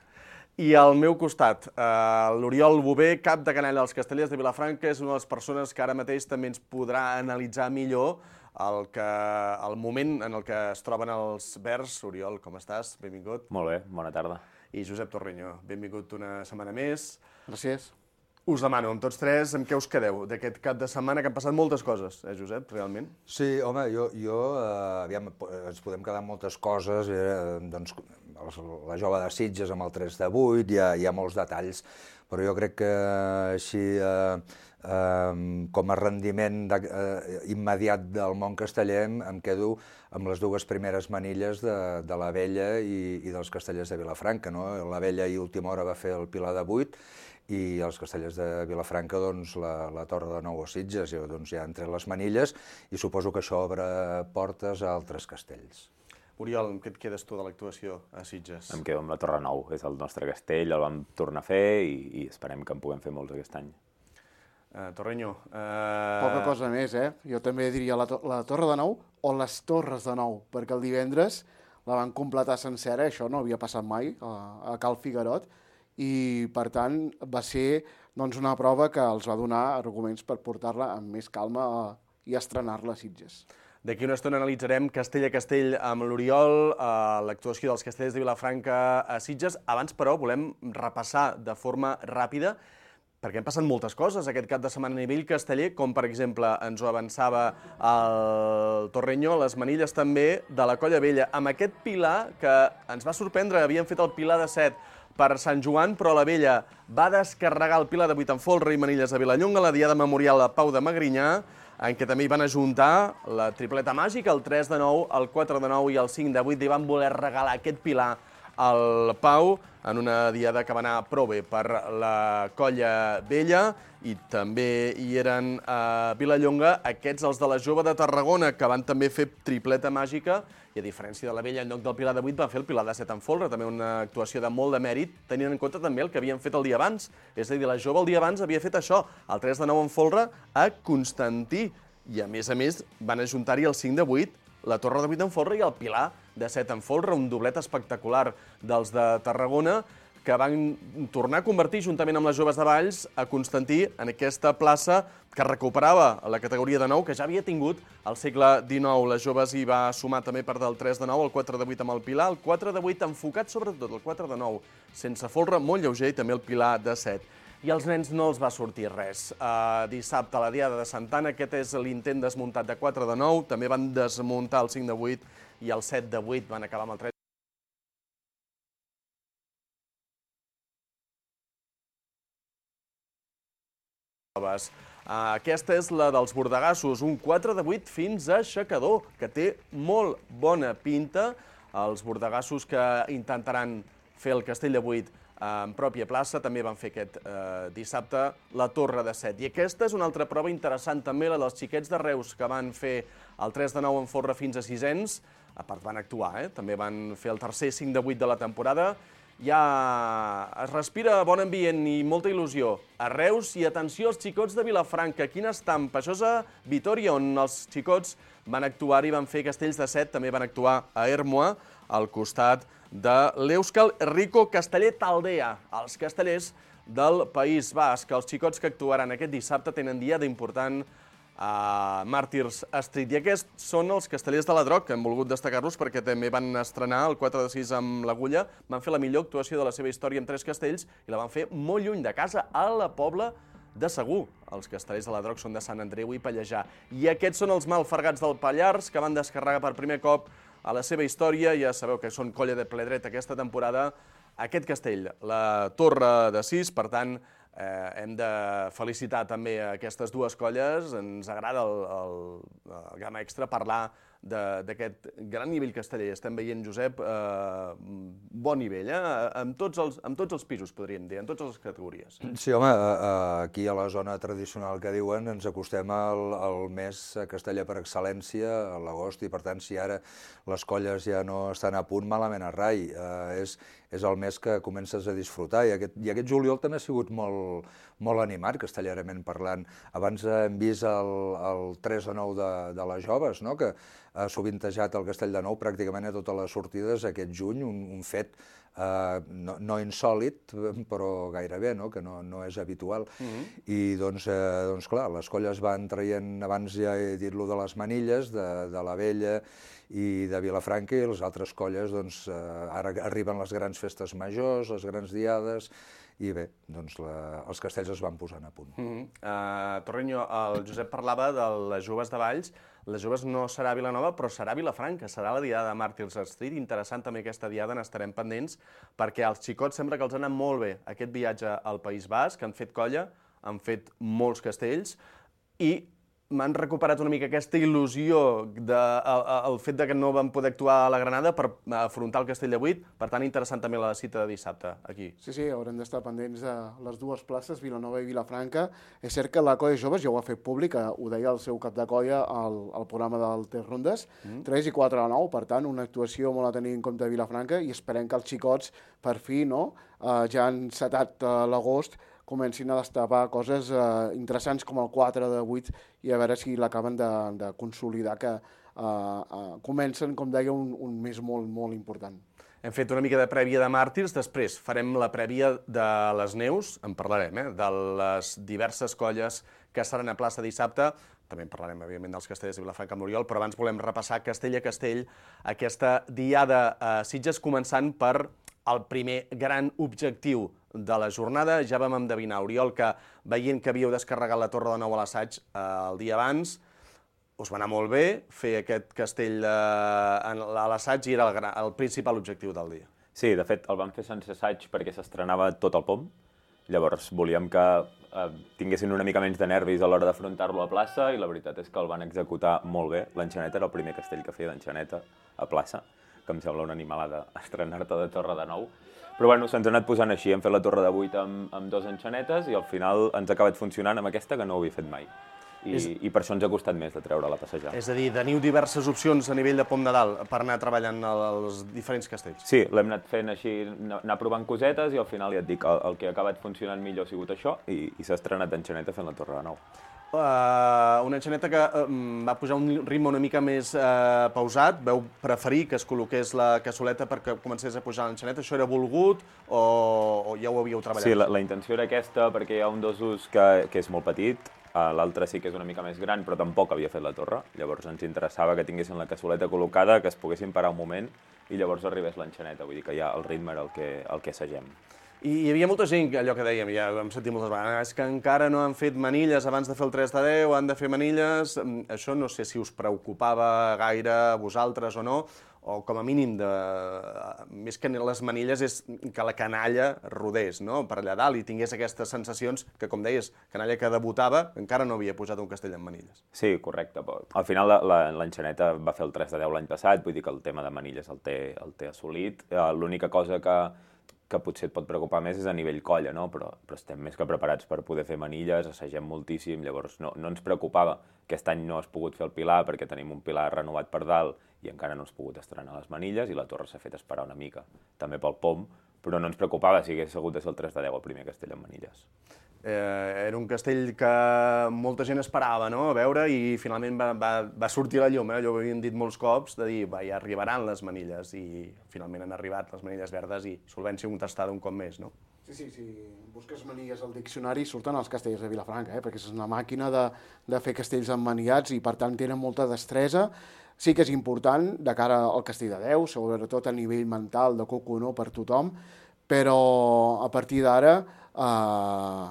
I al meu costat, eh, l'Oriol Bové, cap de canalla dels Castellers de Vilafranca, és una de les persones que ara mateix també ens podrà analitzar millor el, que, el moment en el que es troben els verds. Oriol, com estàs? Benvingut. Molt bé, bona tarda. I Josep Torreño, benvingut una setmana més. Gràcies. Us demano, amb tots tres, amb què us quedeu d'aquest cap de setmana, que han passat moltes coses, eh, Josep, realment? Sí, home, jo, jo eh, aviam, ens podem quedar amb moltes coses, eh, doncs, la jove de Sitges amb el tres de vuit, hi ha, hi ha molts detalls, però jo crec que així, eh, eh, com a rendiment de, eh, immediat del món casteller, em quedo amb les dues primeres manilles de, de la Vella i, i dels Castellers de Vilafranca, no? La Vella i última hora va fer el Pilar de vuit, i els Castellers de Vilafranca, doncs, la, la Torre de Nou a Sitges, jo, doncs, ja entre les manilles, i suposo que això obre portes a altres castells. Oriol, amb què et quedes tu de l'actuació a Sitges? Em quedo amb la Torre Nou, és el nostre castell, el vam tornar a fer i, i esperem que en puguem fer molts aquest any. Uh, Torreño... Uh... Poca cosa més, eh? Jo també diria la, to la Torre de Nou o les Torres de Nou, perquè el divendres la van completar sencera, això no havia passat mai a, a Cal Figuerot, i per tant va ser doncs, una prova que els va donar arguments per portar-la amb més calma a, i estrenar-la a Sitges. D'aquí una estona analitzarem castell a castell amb l'Oriol, eh, l'actuació dels Castellers de Vilafranca a Sitges. Abans, però, volem repassar de forma ràpida, perquè han passat moltes coses aquest cap de setmana a nivell casteller, com per exemple ens ho avançava el Torreño, les manilles també de la Colla Vella, amb aquest pilar que ens va sorprendre, havien fet el pilar de set per Sant Joan, però la Vella va descarregar el pilar de vuit en folre i manilles a Vilallonga, la Diada Memorial a Pau de Magrinyà, en què també hi van ajuntar la tripleta màgica, el tres de nou, el quatre de nou i el cinc de vuit, i van voler regalar aquest pilar al Pau en una diada que va anar prou bé per la Colla Vella, i també hi eren a Vilallonga aquests, els de la Jove de Tarragona, que van també fer tripleta màgica, i a diferència de la Vella, en lloc del pilar de vuit, van fer el pilar de set en folre, també una actuació de molt de mèrit, tenint en compte també el que havien fet el dia abans. És a dir, la Jove el dia abans havia fet això, el tres de nou en folre a Constantí, i a més a més van ajuntar-hi el cinc de vuit, la Torre de vuit en folre i el pilar de set en folre, un doblet espectacular dels de Tarragona, que van tornar a convertir, juntament amb les Joves de Valls, a Constantí en aquesta plaça que recuperava la categoria de nou, que ja havia tingut al segle dinou. Les Joves hi va sumar també part del tres de nou, el quatre de vuit amb el pilar, el quatre de vuit enfocat sobretot, el quatre de nou sense folre, molt lleuger, i també el pilar de set. I als nens no els va sortir res. Uh, dissabte a la Diada de Santa Anna, aquest és l'intent desmuntat de quatre de nou, també van desmuntar el cinc de vuit i el set de vuit, van acabar amb el tres. proves. Aquesta és la dels bordegassos, un quatre de vuit fins a aixecador, que té molt bona pinta. Els bordegassos que intentaran fer el castell de vuit en pròpia plaça també van fer aquest dissabte la torre de set. I aquesta és una altra prova interessant també, la dels xiquets de Reus, que van fer el tres de nou en folre fins a sisens. A part, van actuar, eh? També van fer el tercer cinc de vuit de la temporada. Ja es respira bon ambient i molta il·lusió a Reus i atenció als xicots de Vilafranca. Quina estampa! Això és a Vitòria, on els xicots van actuar i van fer castells de set, també van actuar a Ermua, al costat de l'Euskal Herriko Casteller Taldea, els castellers del País Basc. Els xicots que actuaran aquest dissabte tenen dia d'important a Màrtirs Street. I aquests són els castellers de la Droc, que hem volgut destacar-los perquè també van estrenar el quatre de sis amb l'Agulla, van fer la millor actuació de la seva història amb tres castells i la van fer molt lluny de casa, a la Pobla de Segur. Els castellers de la Droc són de Sant Andreu i Pallejà. I aquests són els malfargats del Pallars, que van descarregar per primer cop a la seva història. Ja sabeu que són colla de ple dret aquesta temporada. Aquest castell, la Torre de sis, per tant, Eh, hem de felicitar també aquestes dues colles. Ens agrada el, el, el Gamma Extra parlar d'aquest gran nivell casteller. Estem veient, Josep, eh, bon nivell, eh? amb, tots els, amb tots els pisos, podríem dir, en totes les categories. Sí, home, aquí a la zona tradicional que diuen ens acostem al, al mes casteller per excel·lència, a l'agost, i per tant, si ara les colles ja no estan a punt, malament a rai. Eh, és, és el mes que comences a disfrutar, i aquest, i aquest juliol també ha sigut molt, molt animat, castellerament parlant. Abans hem vist el, el tres de nou de, de les joves, no?, que ha sovintejat el Castell de Nou pràcticament a totes les sortides aquest juny, un, un fet eh, no, no insòlit, però gairebé, no?, que no, no és habitual. Mm-hmm. I doncs, eh, doncs clar, les colles van traient, abans ja he dit-lo de les Manilles, de, de la Vella i de Vilafranca, i les altres colles, doncs, eh, ara arriben les grans festes majors, les grans diades, i bé, doncs la, els castells es van posant a punt. Mm-hmm. uh, Torreño, el Josep parlava de les joves de Valls. Les joves no serà Vilanova, però serà Vilafranca, serà la diada de Màrtirs Street. Interessant també aquesta diada, n'estarem pendents, perquè als xicots sembla que els ha anat molt bé aquest viatge al País Basc, han fet colla, han fet molts castells, i m'han recuperat una mica aquesta il·lusió del fet de que no van poder actuar a la Granada per afrontar el Castell de vuit. Per tant, interessant també la cita de dissabte aquí. Sí, sí, haurem d'estar pendents de les dues places, Vilanova i Vilafranca. És cert que la colla joves ja ho ha fet públic, ho deia el seu cap de colla al, al programa del Tres Rondes, mm. tres i quatre a nou, per tant, una actuació molt a tenir en compte a Vilafranca, i esperem que els xicots, per fi, no?, uh, ja han setat uh, l'agost, comencin a destapar coses eh, interessants com el quatre de vuit, i a veure si l'acaben de, de consolidar, que eh, eh, comencen, com deia, un, un mes molt, molt important. Hem fet una mica de prèvia de Màrtirs, després farem la prèvia de les Neus, en parlarem, eh, de les diverses colles que seran a plaça dissabte. També en parlarem, evidentment, dels castellers de Vilafranca amb l'Oriol, però abans volem repassar castell a castell aquesta diada a Sitges, començant per el primer gran objectiu de la jornada. Ja vam endevinar, Oriol, que veient que havíeu descarregat la Torre de Nou a l'assaig eh, el dia abans, us va anar molt bé fer aquest castell eh, a l'assaig, i era el, el principal objectiu del dia. Sí, de fet, el vam fer sense assaig perquè s'estrenava tot el P O M. Llavors volíem que eh, tinguessin una mica menys de nervis a l'hora d'afrontar-lo a plaça, i la veritat és que el van executar molt bé. L'enxaneta era el primer castell que feia d'enxaneta a plaça, que em sembla una animalada estrenar-te de Torre de Nou. Però bueno, se'ns ha anat posant així, hem fet la Torre de vuit amb, amb dos enxanetes, i al final ens ha acabat funcionant amb aquesta, que no ho havia fet mai. I, és... i per això ens ha costat més de treure-la a passejar. És a dir, teniu diverses opcions a nivell de Pom de Dalt per anar treballant els diferents castells. Sí, l'hem anat fent així, anar provant cosetes, i al final ja et dic, el, el que ha acabat funcionant millor ha sigut això, i, i s'ha estrenat d'enxaneta fent la Torre de Nou. Uh, una enxaneta que uh, va pujar un ritme una mica més uh, pausat. Veu preferir que es col·loqués la cassoleta perquè comencés a pujar l'enxaneta? Això era volgut o, o ja ho havíeu treballat? Sí, la, la intenció era aquesta, perquè hi ha un dosus que, que és molt petit, uh, l'altre sí que és una mica més gran, però tampoc havia fet la torre. Llavors ens interessava que tinguessin la cassoleta col·locada, que es poguessin parar un moment i llavors arribés l'enxaneta. Vull dir que ja el ritme era el que, el que assagem. I hi havia molta gent, allò que dèiem, ja ho hem sentit moltes vegades, que encara no han fet manilles abans de fer el tres de deu, han de fer manilles. Això no sé si us preocupava gaire a vosaltres o no, o com a mínim, de, més que les manilles, és que la canalla rodés, no?, per allà dalt i tingués aquestes sensacions que, com deies, canalla que debutava encara no havia posat un castell amb manilles. Sí, correcte. Al final l'Enxaneta va fer el tres de deu l'any passat, vull dir que el tema de manilles el té, el té assolit. L'única cosa que, que potser et pot preocupar més és a nivell colla, no? Però, però estem més que preparats per poder fer manilles, assagem moltíssim, llavors no, no ens preocupava. Aquest any no has pogut fer el pilar perquè tenim un pilar renovat per dalt i encara no has pogut estrenar les manilles i la torre s'ha fet esperar una mica, també pel P O M, però no ens preocupava si hagués hagut de ser el tres de deu el primer castell amb manilles. Eh, era un castell que molta gent esperava, no?, a veure, i finalment va, va, va sortir a la llum, eh? Allò ho havíem dit molts cops, de dir, va, ja arribaran les manilles, i finalment han arribat les manilles verdes i solvència contestada un cop més, no? Sí, sí, si busques manilles al diccionari surten els castells de Vilafranca, eh? Perquè és una màquina de, de fer castells emmanillats i per tant tenen molta destresa. Sí que és important de cara al castell de Déu, sobretot a nivell mental de coco, no?, per tothom, però a partir d'ara eh,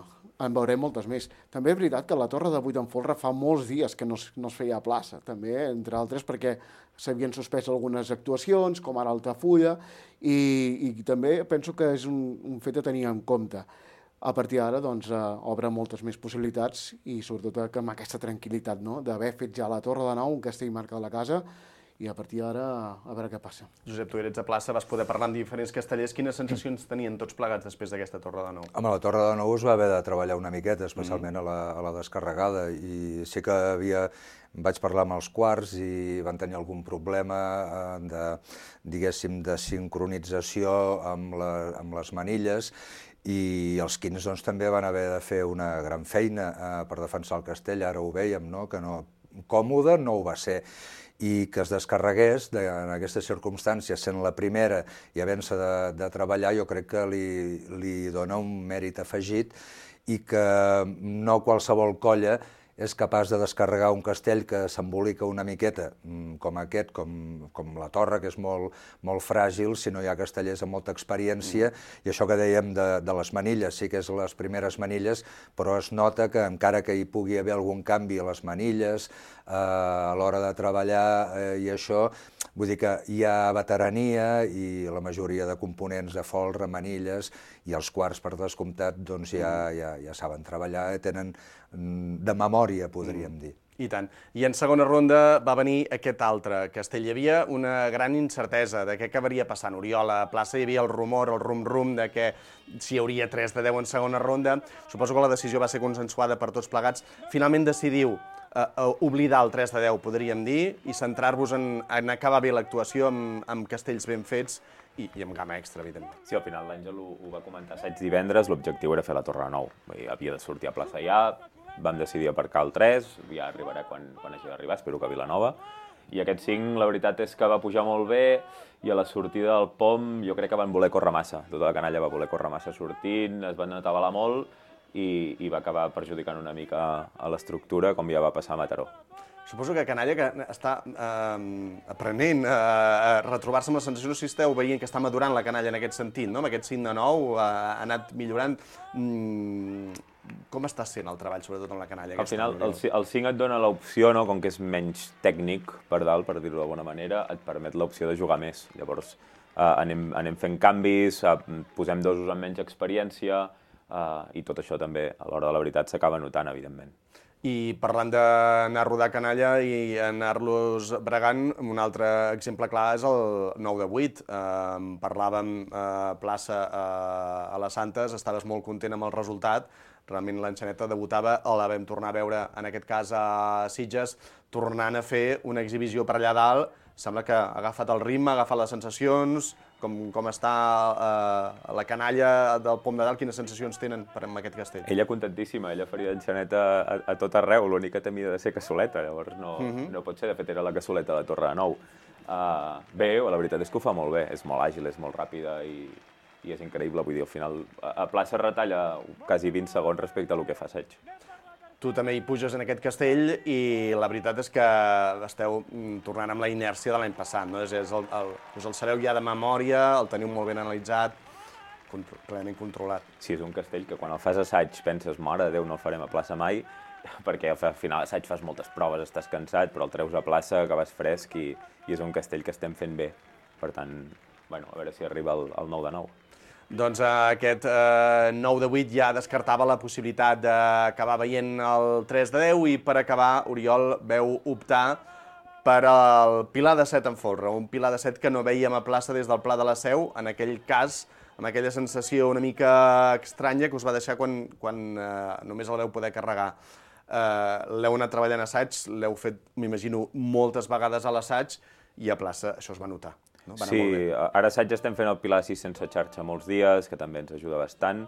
en veurem moltes més. També és veritat que la Torre de Vuit en Folre fa molts dies que no es, no es feia a plaça, també, entre altres perquè s'havien suspès algunes actuacions, com ara Altafulla, i, i també penso que és un, un fet a tenir en compte. A partir d'ara, doncs, eh, obre moltes més possibilitats i sobretot que amb aquesta tranquil·litat, no?, d'haver fet ja la Torre de Nou, un castell marca de la casa, i a partir d'ara a veure què passa. Josep, tu eres a plaça, vas poder parlar amb diferents castellers. Quines sensacions tenien tots plegats després d'aquesta Torre de Nou? Home, la Torre de Nou es va haver de treballar una miqueta, especialment mm. a, la, a la descarregada, i sí que havia... Vaig parlar amb els quarts i van tenir algun problema de, diguéssim, de sincronització amb, la, amb les manilles, i els quins doncs, també van haver de fer una gran feina eh, per defensar el castell. Ara ho vèiem, no?, que no, còmode no ho va ser, i que es descarregués de, en aquestes circumstàncies, sent la primera i havent-se de, de treballar, jo crec que li, li dona un mèrit afegit, i que no qualsevol colla és capaç de descarregar un castell que s'embolica una miqueta, com aquest, com, com la Torre, que és molt, molt fràgil, si no hi ha castellers amb molta experiència, mm. i això que dèiem de, de les manilles, sí que és les primeres manilles, però es nota que encara que hi pugui haver algun canvi a les manilles, eh, a l'hora de treballar eh, i això, vull dir que hi ha veterania i la majoria de components de folre, manilles, i els quarts, per descomptat, doncs ja, ja, ja saben treballar, tenen de memòria, podríem dir. I tant. I en segona ronda va venir aquest altre castell. Hi havia una gran incertesa de què acabaria passant. Oriol, a plaça hi havia el rumor, el rum-rum, de que si hi hauria tres de deu en segona ronda. Suposo que la decisió va ser consensuada per tots plegats. Finalment decidiu eh, oblidar el tres de deu, podríem dir, i centrar-vos en, en acabar bé l'actuació amb, amb castells ben fets i, i amb gamma extra, evidentment. Sí, al final l'Àngel ho, ho va comentar assaig divendres, l'objectiu era fer la Torre de Nou. Havia de sortir a plaça ja, vam decidir aparcar el tres, ja arribarà quan, quan hagi d'arribar, espero que a Vilanova. I aquest cinc, la veritat és que va pujar molt bé, i a la sortida del P O M jo crec que van voler córrer massa. Tota la canalla va voler córrer massa sortint, es van atabalar molt, i, i va acabar perjudicant una mica a l'estructura, com ja va passar a Mataró. Suposo que canalla que està eh, aprenent a, a retrobar-se amb les sensacions, no sé si esteu veient que està madurant la canalla en aquest sentit, no? Amb aquest cinc de nou ha, ha anat millorant. Mm, com està sent el treball, sobretot amb la canalla? Al final, el, el cinc et dona l'opció, no? Com que és menys tècnic, per dalt, per dir-ho d'alguna manera, et permet l'opció de jugar més. Llavors, eh, anem, anem fent canvis, eh, posem dosos amb menys experiència, eh, i tot això també, a l'hora de la veritat, s'acaba notant, evidentment. I parlant d'anar a rodar canalla i anar-los bregant, un altre exemple clar és el nou de vuit. Eh, parlàvem a eh, plaça eh, a les Santes, estaves molt content amb el resultat. Realment l'Enxaneta debutava, la vam tornar a veure, en aquest cas a Sitges, tornant a fer una exhibició per allà dalt. Sembla que ha agafat el ritme, ha agafat les sensacions, com, com està eh, la canalla del Pom de Dalt, quines sensacions tenen per amb aquest castell? Ella contentíssima, ella faria l'Enxaneta a, a tot arreu, l'únic que temia de ser cassoleta, llavors no, uh -huh. no pot ser, de fet era la cassoleta de la Torre de Nou. Uh, bé, la veritat és que ho fa molt bé, és molt àgil, és molt ràpida i, i és increïble, vull dir, al final a, a plaça retalla quasi vint segons respecte a lo que fa Seig. Tu també hi puges en aquest castell i la veritat és que esteu tornant amb la inèrcia de l'any passat, no? És, és el, el, us el sabeu ja de memòria, el teniu molt ben analitzat, contro plenament controlat. Sí, és un castell que quan el fas assaig penses, mare de Déu, no el farem a plaça mai, perquè al final l'assaig fas moltes proves, estàs cansat, però el treus a plaça, acabes fresc i, i és un castell que estem fent bé. Per tant, bueno, a veure si arriba el, el nou de nou. Doncs aquest eh, nou de vuit ja descartava la possibilitat d'acabar veient el tres de deu i per acabar Oriol veu optar per al Pilar de set en folre, un Pilar de set que no vèiem a plaça des del Pla de la Seu, en aquell cas, amb aquella sensació una mica estranya que us va deixar quan, quan eh, només el veu poder carregar. Eh, l'heu anat treballant assaig, l'heu fet, m'imagino, moltes vegades a l'assaig i a plaça això es va notar. No? Va sí, ara assaig estem fent el Pilar sis sense xarxa molts dies, que també ens ajuda bastant.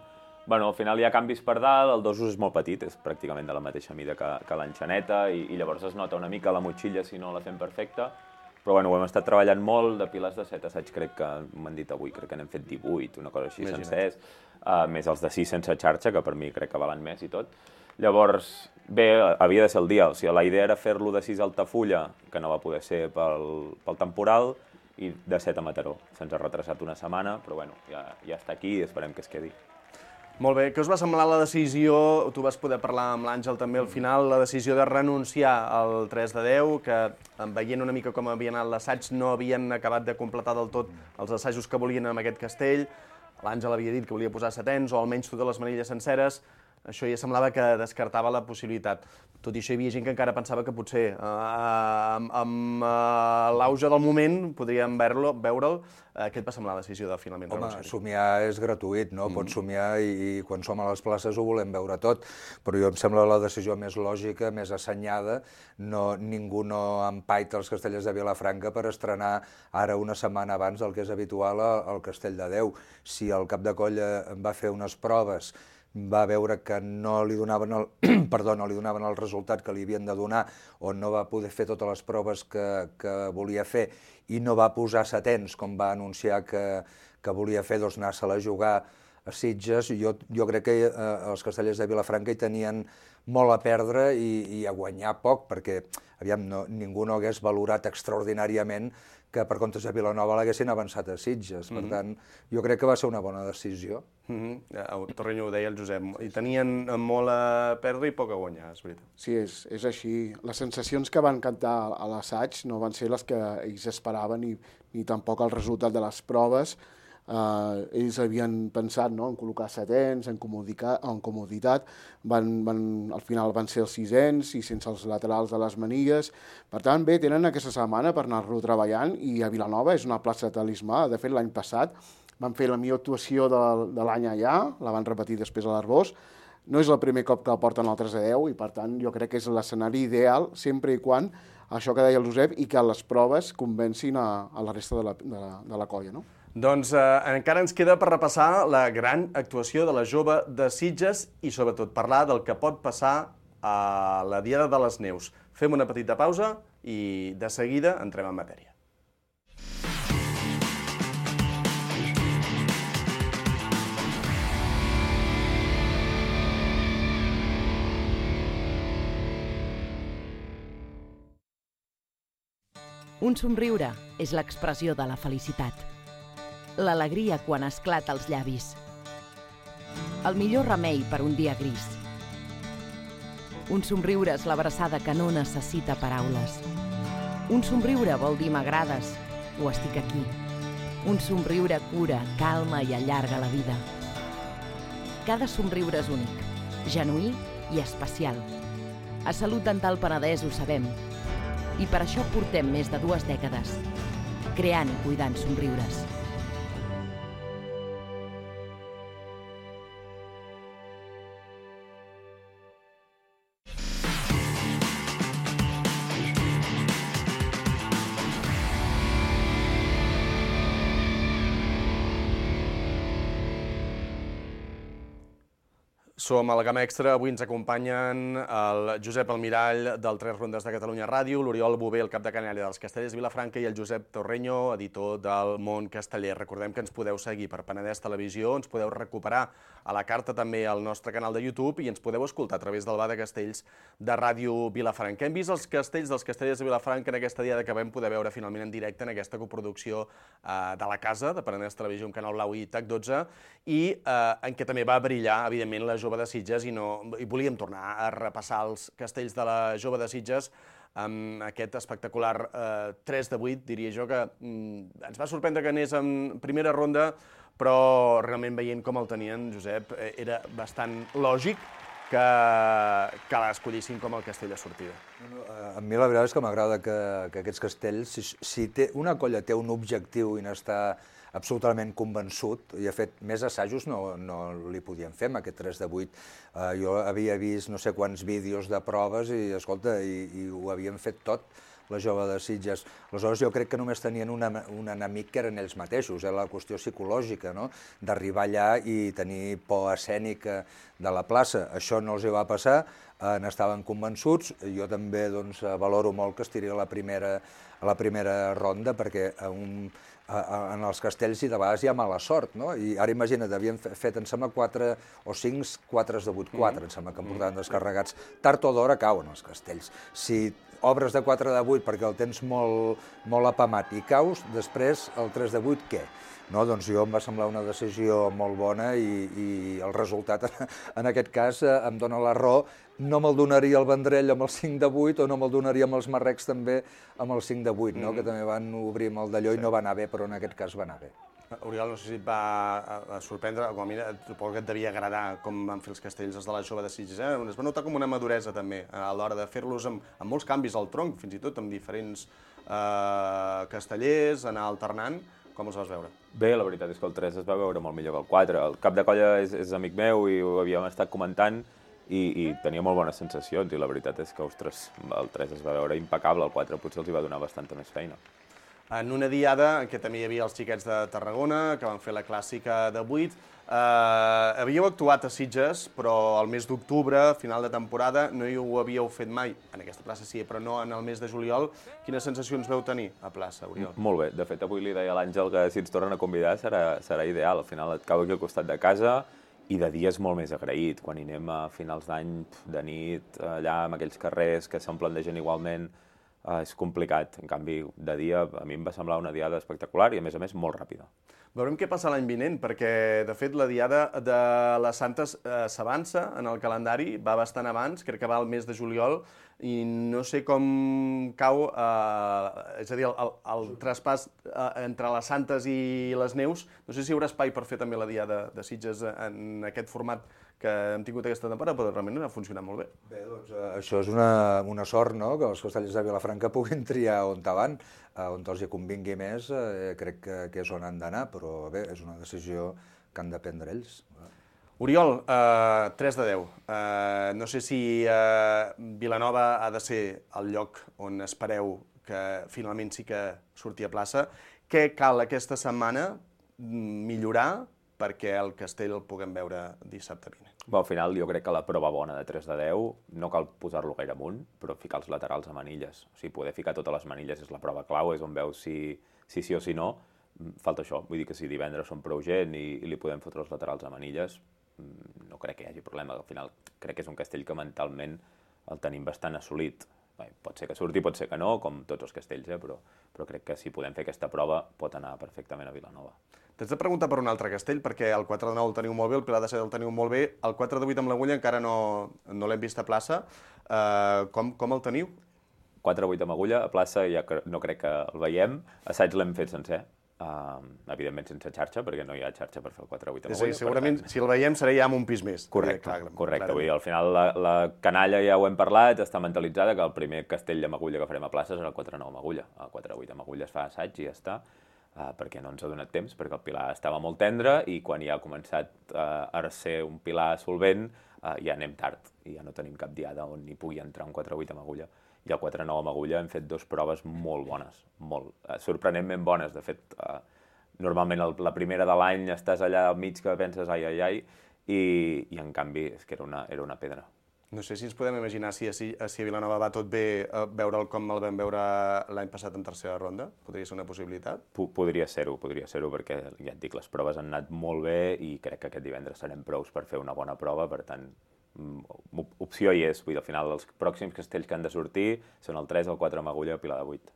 Bueno, al final hi ha canvis per dalt, el dosos és molt petit, és pràcticament de la mateixa mida que, que l'enxaneta i, i llavors es nota una mica la motxilla si no la fem perfecta. Però bueno, ho hem estat treballant molt, de pilars de set assaig crec que m'han dit avui, crec que n'hem fet divuit, una cosa així sencers, uh, més els de sis sense xarxa, que per mi crec que valen més i tot. Llavors, bé, havia de ser el dia, o sigui, la idea era fer-lo de sis a Altafulla, que no va poder ser pel, pel temporal, i de set a Mataró. Se'ns ha retrasat una setmana, però bueno, ja, ja està aquí i esperem que es quedi. Molt bé, què us va semblar la decisió, tu vas poder parlar amb l'Àngel també al final, la decisió de renunciar al tres de deu, que veient una mica com havia anat l'assaig no havien acabat de completar del tot els assajos que volien amb aquest castell, l'Àngel havia dit que volia posar setens o almenys totes les manilles senceres, això ja semblava que descartava la possibilitat. Tot i això hi havia gent que encara pensava que potser eh, amb, amb eh, l'auge del moment podríem veure'l. veure'l. Eh, què et va semblar la decisió de finalment renunciar? Home, somiar és gratuït, no? Mm. Pots somiar i, i quan som a les places ho volem veure tot, però jo em sembla la decisió més lògica, més assenyada. No, ningú no empaita els castellers de Vilafranca per estrenar ara una setmana abans del que és habitual al Castell de Déu. Si el cap de colla va fer unes proves, va veure que no li donaven el, perdó, no li donaven el resultat que li havien de donar o no va poder fer totes les proves que, que volia fer i no va posar setens, com va anunciar que, que volia fer, doncs anar-se-la a jugar a Sitges. Jo, jo crec que eh, els castellers de Vilafranca hi tenien molt a perdre i, i a guanyar poc, perquè aviam, no, ningú no hagués valorat extraordinàriament que per comptes de Vilanova l'haguessin avançat a Sitges. Per tant, jo crec que va ser una bona decisió. Mm-hmm. Torrenyo ho deia el Josep, i tenien molt a perdre i poc a guanyar, és veritat. Sí, és, és així. Les sensacions que van cantar a l'assaig no van ser les que ells esperaven ni, ni tampoc el resultat de les proves. Uh, ells havien pensat, no?, en col·locar setens, en, en comoditat, van, van, al final van ser els sisens i sense els laterals de les manilles. Per tant, bé, tenen aquesta setmana per anar-lo treballant i a Vilanova és una plaça de talismà. De fet, l'any passat van fer la millor actuació de, de l'any allà, la van repetir després a l'Arbós. No és el primer cop que el porten al tres a deu i, per tant, jo crec que és l'escenari ideal sempre i quan això que deia el Josep i que les proves convencin a, a la resta de la, de la, de la colla, no? Doncs eh, encara ens queda per repassar la gran actuació de la jove de Sitges i sobretot parlar del que pot passar a la Diada de les Neus. Fem una petita pausa i de seguida entrem en matèria. Un somriure és l'expressió de la felicitat. L'alegria quan esclata als llavis. El millor remei per un dia gris. Un somriure és l'abraçada que no necessita paraules. Un somriure vol dir m'agrades o estic aquí. Un somriure cura, calma i allarga la vida. Cada somriure és únic, genuí i especial. A Salut Dental Penedès ho sabem. I per això portem més de dues dècades creant i cuidant somriures. Som a la Gamma Extra, avui ens acompanyen el Josep Almirall del Tres Rondes de Catalunya Ràdio, l'Oriol Bové, el cap de canalla dels Castellers de Vilafranca i el Josep Torrenyo, editor del Món Casteller. Recordem que ens podeu seguir per Penedès Televisió, ens podeu recuperar a la carta també al nostre canal de YouTube i ens podeu escoltar a través del Bar de Castells de Ràdio Vilafranca. Hem vist els castells dels Castellers de Vilafranca en aquesta diada que vam poder veure finalment en directe en aquesta coproducció eh, de la casa, de Penedès Televisió, amb Canal Blau i TAC dotze, i eh, en què també va brillar, evidentment, la jove de Sitges i, no, i volíem tornar a repassar els castells de la Jove de Sitges amb aquest espectacular eh, tres de vuit, diria jo, que mm, ens va sorprendre que anés en primera ronda, però realment veient com el tenien, Josep, era bastant lògic que, que l'escollissin com el castell de sortida. A mi la veritat és que m'agrada que, que aquests castells, si, si té, una colla té un objectiu i n'està absolutament convençut, i ha fet més assajos, no, no li podien fer amb aquest tres de vuit. Uh, jo havia vist no sé quants vídeos de proves i, escolta, i, i ho havien fet tot, la Jove de Sitges. Aleshores, jo crec que només tenien una, un enemic que eren ells mateixos, eh, la qüestió psicològica, no? D'arribar allà i tenir por escènica de la plaça. Això no els hi va passar, eh, n'estaven convençuts. Jo també doncs, valoro molt que es tiri a la primera, a la primera ronda, perquè a un, a, a, en els castells i de vegades hi ha mala sort, no? I ara imagina't, havien fet, em sembla, quatre o cinc quatres de vuit quatre, mm. em sembla que em portaven descarregats. Tard o d'hora cauen els castells. Si obres de quatre de vuit perquè el tens molt, molt apamat i caus, després el tres de vuit què? No, doncs jo em va semblar una decisió molt bona i, i el resultat en aquest cas em dona la raó. No me'l donaria el Vendrell amb el cinc de vuit o no me'l donaria amb els marrecs també amb el cinc de vuit, no? Mm. Que també van obrir amb el d'allò i no va anar bé, però en aquest cas va anar bé. Oriol, no sé si et va sorprendre, com a mi suposo que et devia agradar com van fer els castells els de la Jove de Sitges. Eh? Es va notar com una maduresa també a l'hora de fer-los amb, amb molts canvis al tronc, fins i tot amb diferents eh, castellers, anar alternant. Com els vas veure? Bé, la veritat és que el tres es va veure molt millor que el quatre. El cap de colla és, és amic meu i ho havíem estat comentant i, i tenia molt bones sensacions i la veritat és que, ostres, el tres es va veure impecable, el quatre potser els hi va donar bastanta més feina. En una diada en què també hi havia els xiquets de Tarragona, que van fer la clàssica de vuit. Eh, havíeu actuat a Sitges, però al mes d'octubre, final de temporada, no hi ho havíeu fet mai. En aquesta plaça sí, però no en el mes de juliol. Quines sensacions veu tenir a plaça, Oriol? Molt bé. De fet, avui li deia a l'Àngel que si ens tornen a convidar serà, serà ideal. Al final et cau aquí al costat de casa i de dia és molt més agraït. Quan hi anem a finals d'any, de nit, allà amb aquells carrers que s'omplen de gent igualment, Uh, és complicat. En canvi, de dia, a mi em va semblar una diada espectacular i, a més a més, molt ràpida. Veurem què passa l'any vinent, perquè, de fet, la diada de les Santes eh, s'avança en el calendari, va bastant abans, crec que va al mes de juliol, i no sé com cau, eh, és a dir, el, el, el traspàs eh, entre les Santes i les Neus. No sé si hi haurà espai per fer també la diada de Sitges en aquest format que hem tingut aquesta temporada, però realment ha funcionat molt bé. Bé, doncs eh, això és una, una sort, no?, que els castellers de Vilafranca puguin triar on van, eh, on els hi convingui més, eh, crec que, que és on han d'anar, però bé, és una decisió que han de prendre ells. Oriol, eh, tres de deu. Eh, no sé si eh, Vilanova ha de ser el lloc on espereu que finalment sí que surti a plaça. Què cal aquesta setmana millorar perquè el castell el puguem veure dissabte vinent? Bé, al final jo crec que la prova bona de tres de deu no cal posar-lo gaire amunt, però ficar els laterals a manilles. O sigui, poder ficar totes les manilles és la prova clau, és on veus si, si sí o si no. Falta això, vull dir que si divendres són prou gent i, i li podem fotre els laterals a manilles, no crec que hi hagi problema. Al final crec que és un castell que mentalment el tenim bastant assolit. Bé, pot ser que surti, pot ser que no, com tots els castells, eh? però, però crec que si podem fer aquesta prova pot anar perfectament a Vilanova. T'haig de preguntar per un altre castell, perquè el quatre de nou el teniu molt bé, el Pilar de set el teniu molt bé, el quatre de vuit amb l'Agulla encara no, no l'hem vist a plaça. Uh, com, com el teniu? quatre de vuit amb Agulla, a plaça ja no crec que el veiem. Assaig l'hem fet sencer, uh, evidentment sense xarxa, perquè no hi ha xarxa per fer el quatre de vuit amb Agulla. Sí, segurament tant, si el veiem serà ja amb un pis més. Correcte, clar, correcte. Vull dir, al final la, la canalla ja ho hem parlat, està mentalitzada que el primer castell amb Agulla que farem a plaça serà el quatre de nou amb Agulla. El quatre de vuit amb Agulla es fa assaig i ja està. Uh, perquè no ens ha donat temps, perquè el pilar estava molt tendre i quan ja ha començat uh, a ser un pilar solvent uh, ja anem tard i ja no tenim cap diada on hi pugui entrar un quatre de vuit amb Agulla. I el quatre de nou amb Agulla hem fet dues proves molt bones, molt, uh, sorprenentment bones. De fet, uh, normalment el, la primera de l'any estàs allà al mig que penses ai, ai, ai, i, i en canvi és que era una, era una pedra. No sé si ens podem imaginar si, si, si a Vilanova va tot bé uh, veure'l com el vam veure l'any passat en tercera ronda. Podria ser una possibilitat? P podria ser-ho, podria ser-ho, perquè ja et dic, les proves han anat molt bé i crec que aquest divendres serem prous per fer una bona prova, per tant, opció hi és. Vull dir, al final, els pròxims castells que han de sortir són el tres, el quatre amb Agulla i el Pilar de vuit.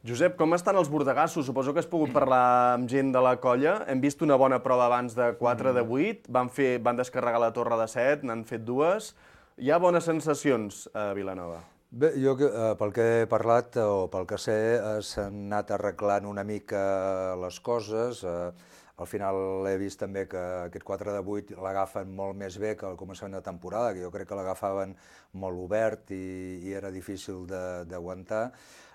Josep, com estan els bordegassos? Suposo que has pogut parlar amb gent de la colla. Hem vist una bona prova abans de quatre de vuit, van, fer, van descarregar la torre de set, n'han fet dues. Hi ha bones sensacions a Vilanova? Bé, jo pel que he parlat o pel que sé s'han anat arreglant una mica les coses. Al final he vist també que aquest quatre de vuit l'agafen molt més bé que al començament de temporada, que jo crec que l'agafaven molt obert i, i era difícil d'aguantar.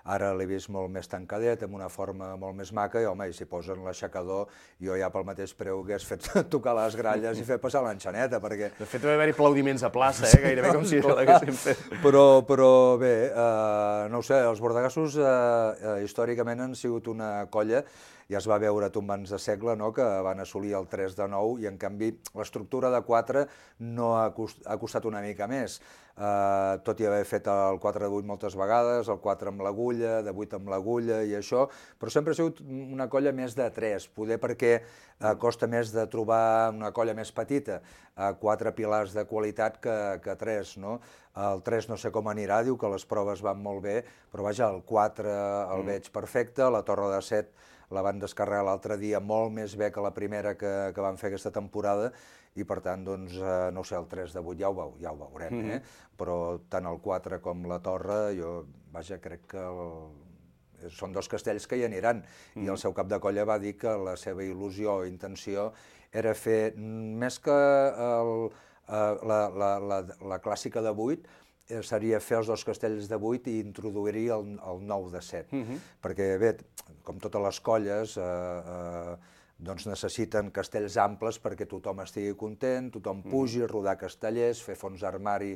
Ara l'he vist molt més tancadet, amb una forma molt més maca, i home, i si posen l'aixecador, jo ja pel mateix preu hagués fet tocar les gralles i fer passar l'enxaneta, perquè... De fet, va haver-hi aplaudiments a plaça, eh? Gairebé com si l'haguessin fet. Però, però bé, eh, no ho sé, els bordegassos eh, eh, històricament han sigut una colla, ja es va veure tombants de segle, no?, que van assolir el tres de nou, i en canvi l'estructura de quatre no ha, cost, ha costat una mica més. Uh, tot i haver fet el quatre de vuit moltes vegades, el quatre amb l'agulla, de vuit amb l'agulla i això, però sempre ha sigut una colla més de tres, poder perquè uh, costa més de trobar una colla més petita, uh, quatre pilars de qualitat que, que tres, no? El tres no sé com anirà, diu que les proves van molt bé, però vaja, el quatre el mm. veig perfecte, la torre de set la van descarregar l'altre dia molt més bé que la primera que, que van fer aquesta temporada, i per tant, doncs, eh, no sé, el tres de vuit ja ho, veu, ja ho veurem, eh? Mm-hmm. Però tant el quatre com la torre, jo, vaja, crec que el... són dos castells que hi aniran, mm-hmm. i el seu cap de colla va dir que la seva il·lusió o intenció era fer, més que el, la, la, la, la clàssica de vuit, seria fer els dos castells de vuit i introduir-hi el, el nou de set. Mm-hmm. Perquè, bé, com totes les colles, eh, eh, doncs necessiten castells amples perquè tothom estigui content, tothom pugi, rodar castellers, fer fons d'armari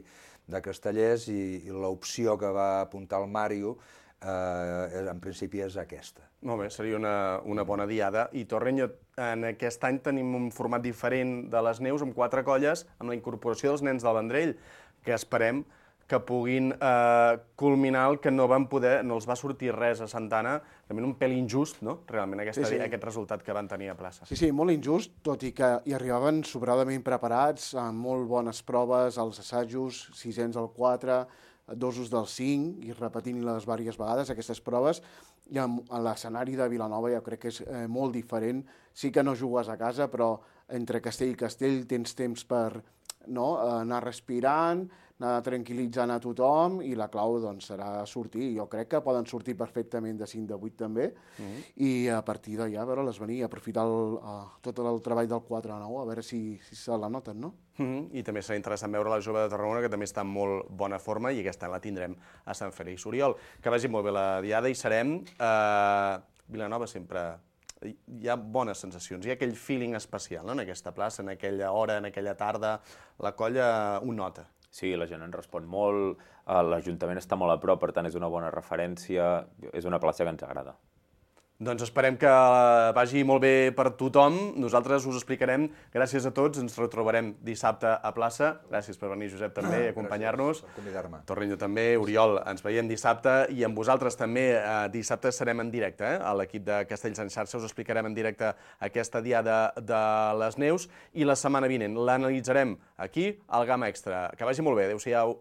de castellers, i, i l'opció que va apuntar el Màrio, eh, en principi és aquesta. Molt bé, seria una, una bona diada. I Torrenyo, en aquest any tenim un format diferent de les neus, amb quatre colles, amb la incorporació dels nens del Vendrell, que esperem que puguin eh, culminar el que no van poder, no els va sortir res a Santana, realment un pèl injust, no?, realment, aquesta, sí, sí. aquest resultat que van tenir a plaça. Sí, sí, molt injust, tot i que hi arribaven sobradament preparats, amb molt bones proves, als assajos, sisens al quatre, dosos del cinc, i repetint-les diverses vegades, aquestes proves, i amb l'escenari de Vilanova jo crec que és eh, molt diferent. Sí que no jugues a casa, però entre castell i castell tens temps per no, anar respirant, anar tranquil·litzant a tothom, i la clau doncs, serà sortir. Jo crec que poden sortir perfectament de cinc de vuit també, mm-hmm. i a partir d'allà a veure-les venir, aprofitar el, uh, tot el treball del quatre a nou, a veure si, si se la noten, no? Mm-hmm. I també serà interessant veure la jove de Tarragona, que també està en molt bona forma, i aquesta la tindrem a Sant Fèlix. Oriol, que vagi molt bé la diada, i serem... Uh, Vilanova sempre... Hi ha bones sensacions, hi ha aquell feeling especial, no?, en aquesta plaça, en aquella hora, en aquella tarda, la colla ho nota. Sí, la gent en respon molt, l'Ajuntament està molt a prop, per tant és una bona referència, és una plaça que ens agrada. Doncs esperem que vagi molt bé per tothom. Nosaltres us explicarem. Gràcies a tots. Ens retrobarem dissabte a plaça. Gràcies per venir, Josep, també, a acompanyar-nos. Gràcies per convidar-me. Torrenyo també, Oriol, ens veiem dissabte, i amb vosaltres també dissabte serem en directe. Eh? A l'equip de Castells en xarxa us explicarem en directe aquesta diada de les neus, i la setmana vinent l'analitzarem aquí al Gamma Extra. Que vagi molt bé. Adéu-siau.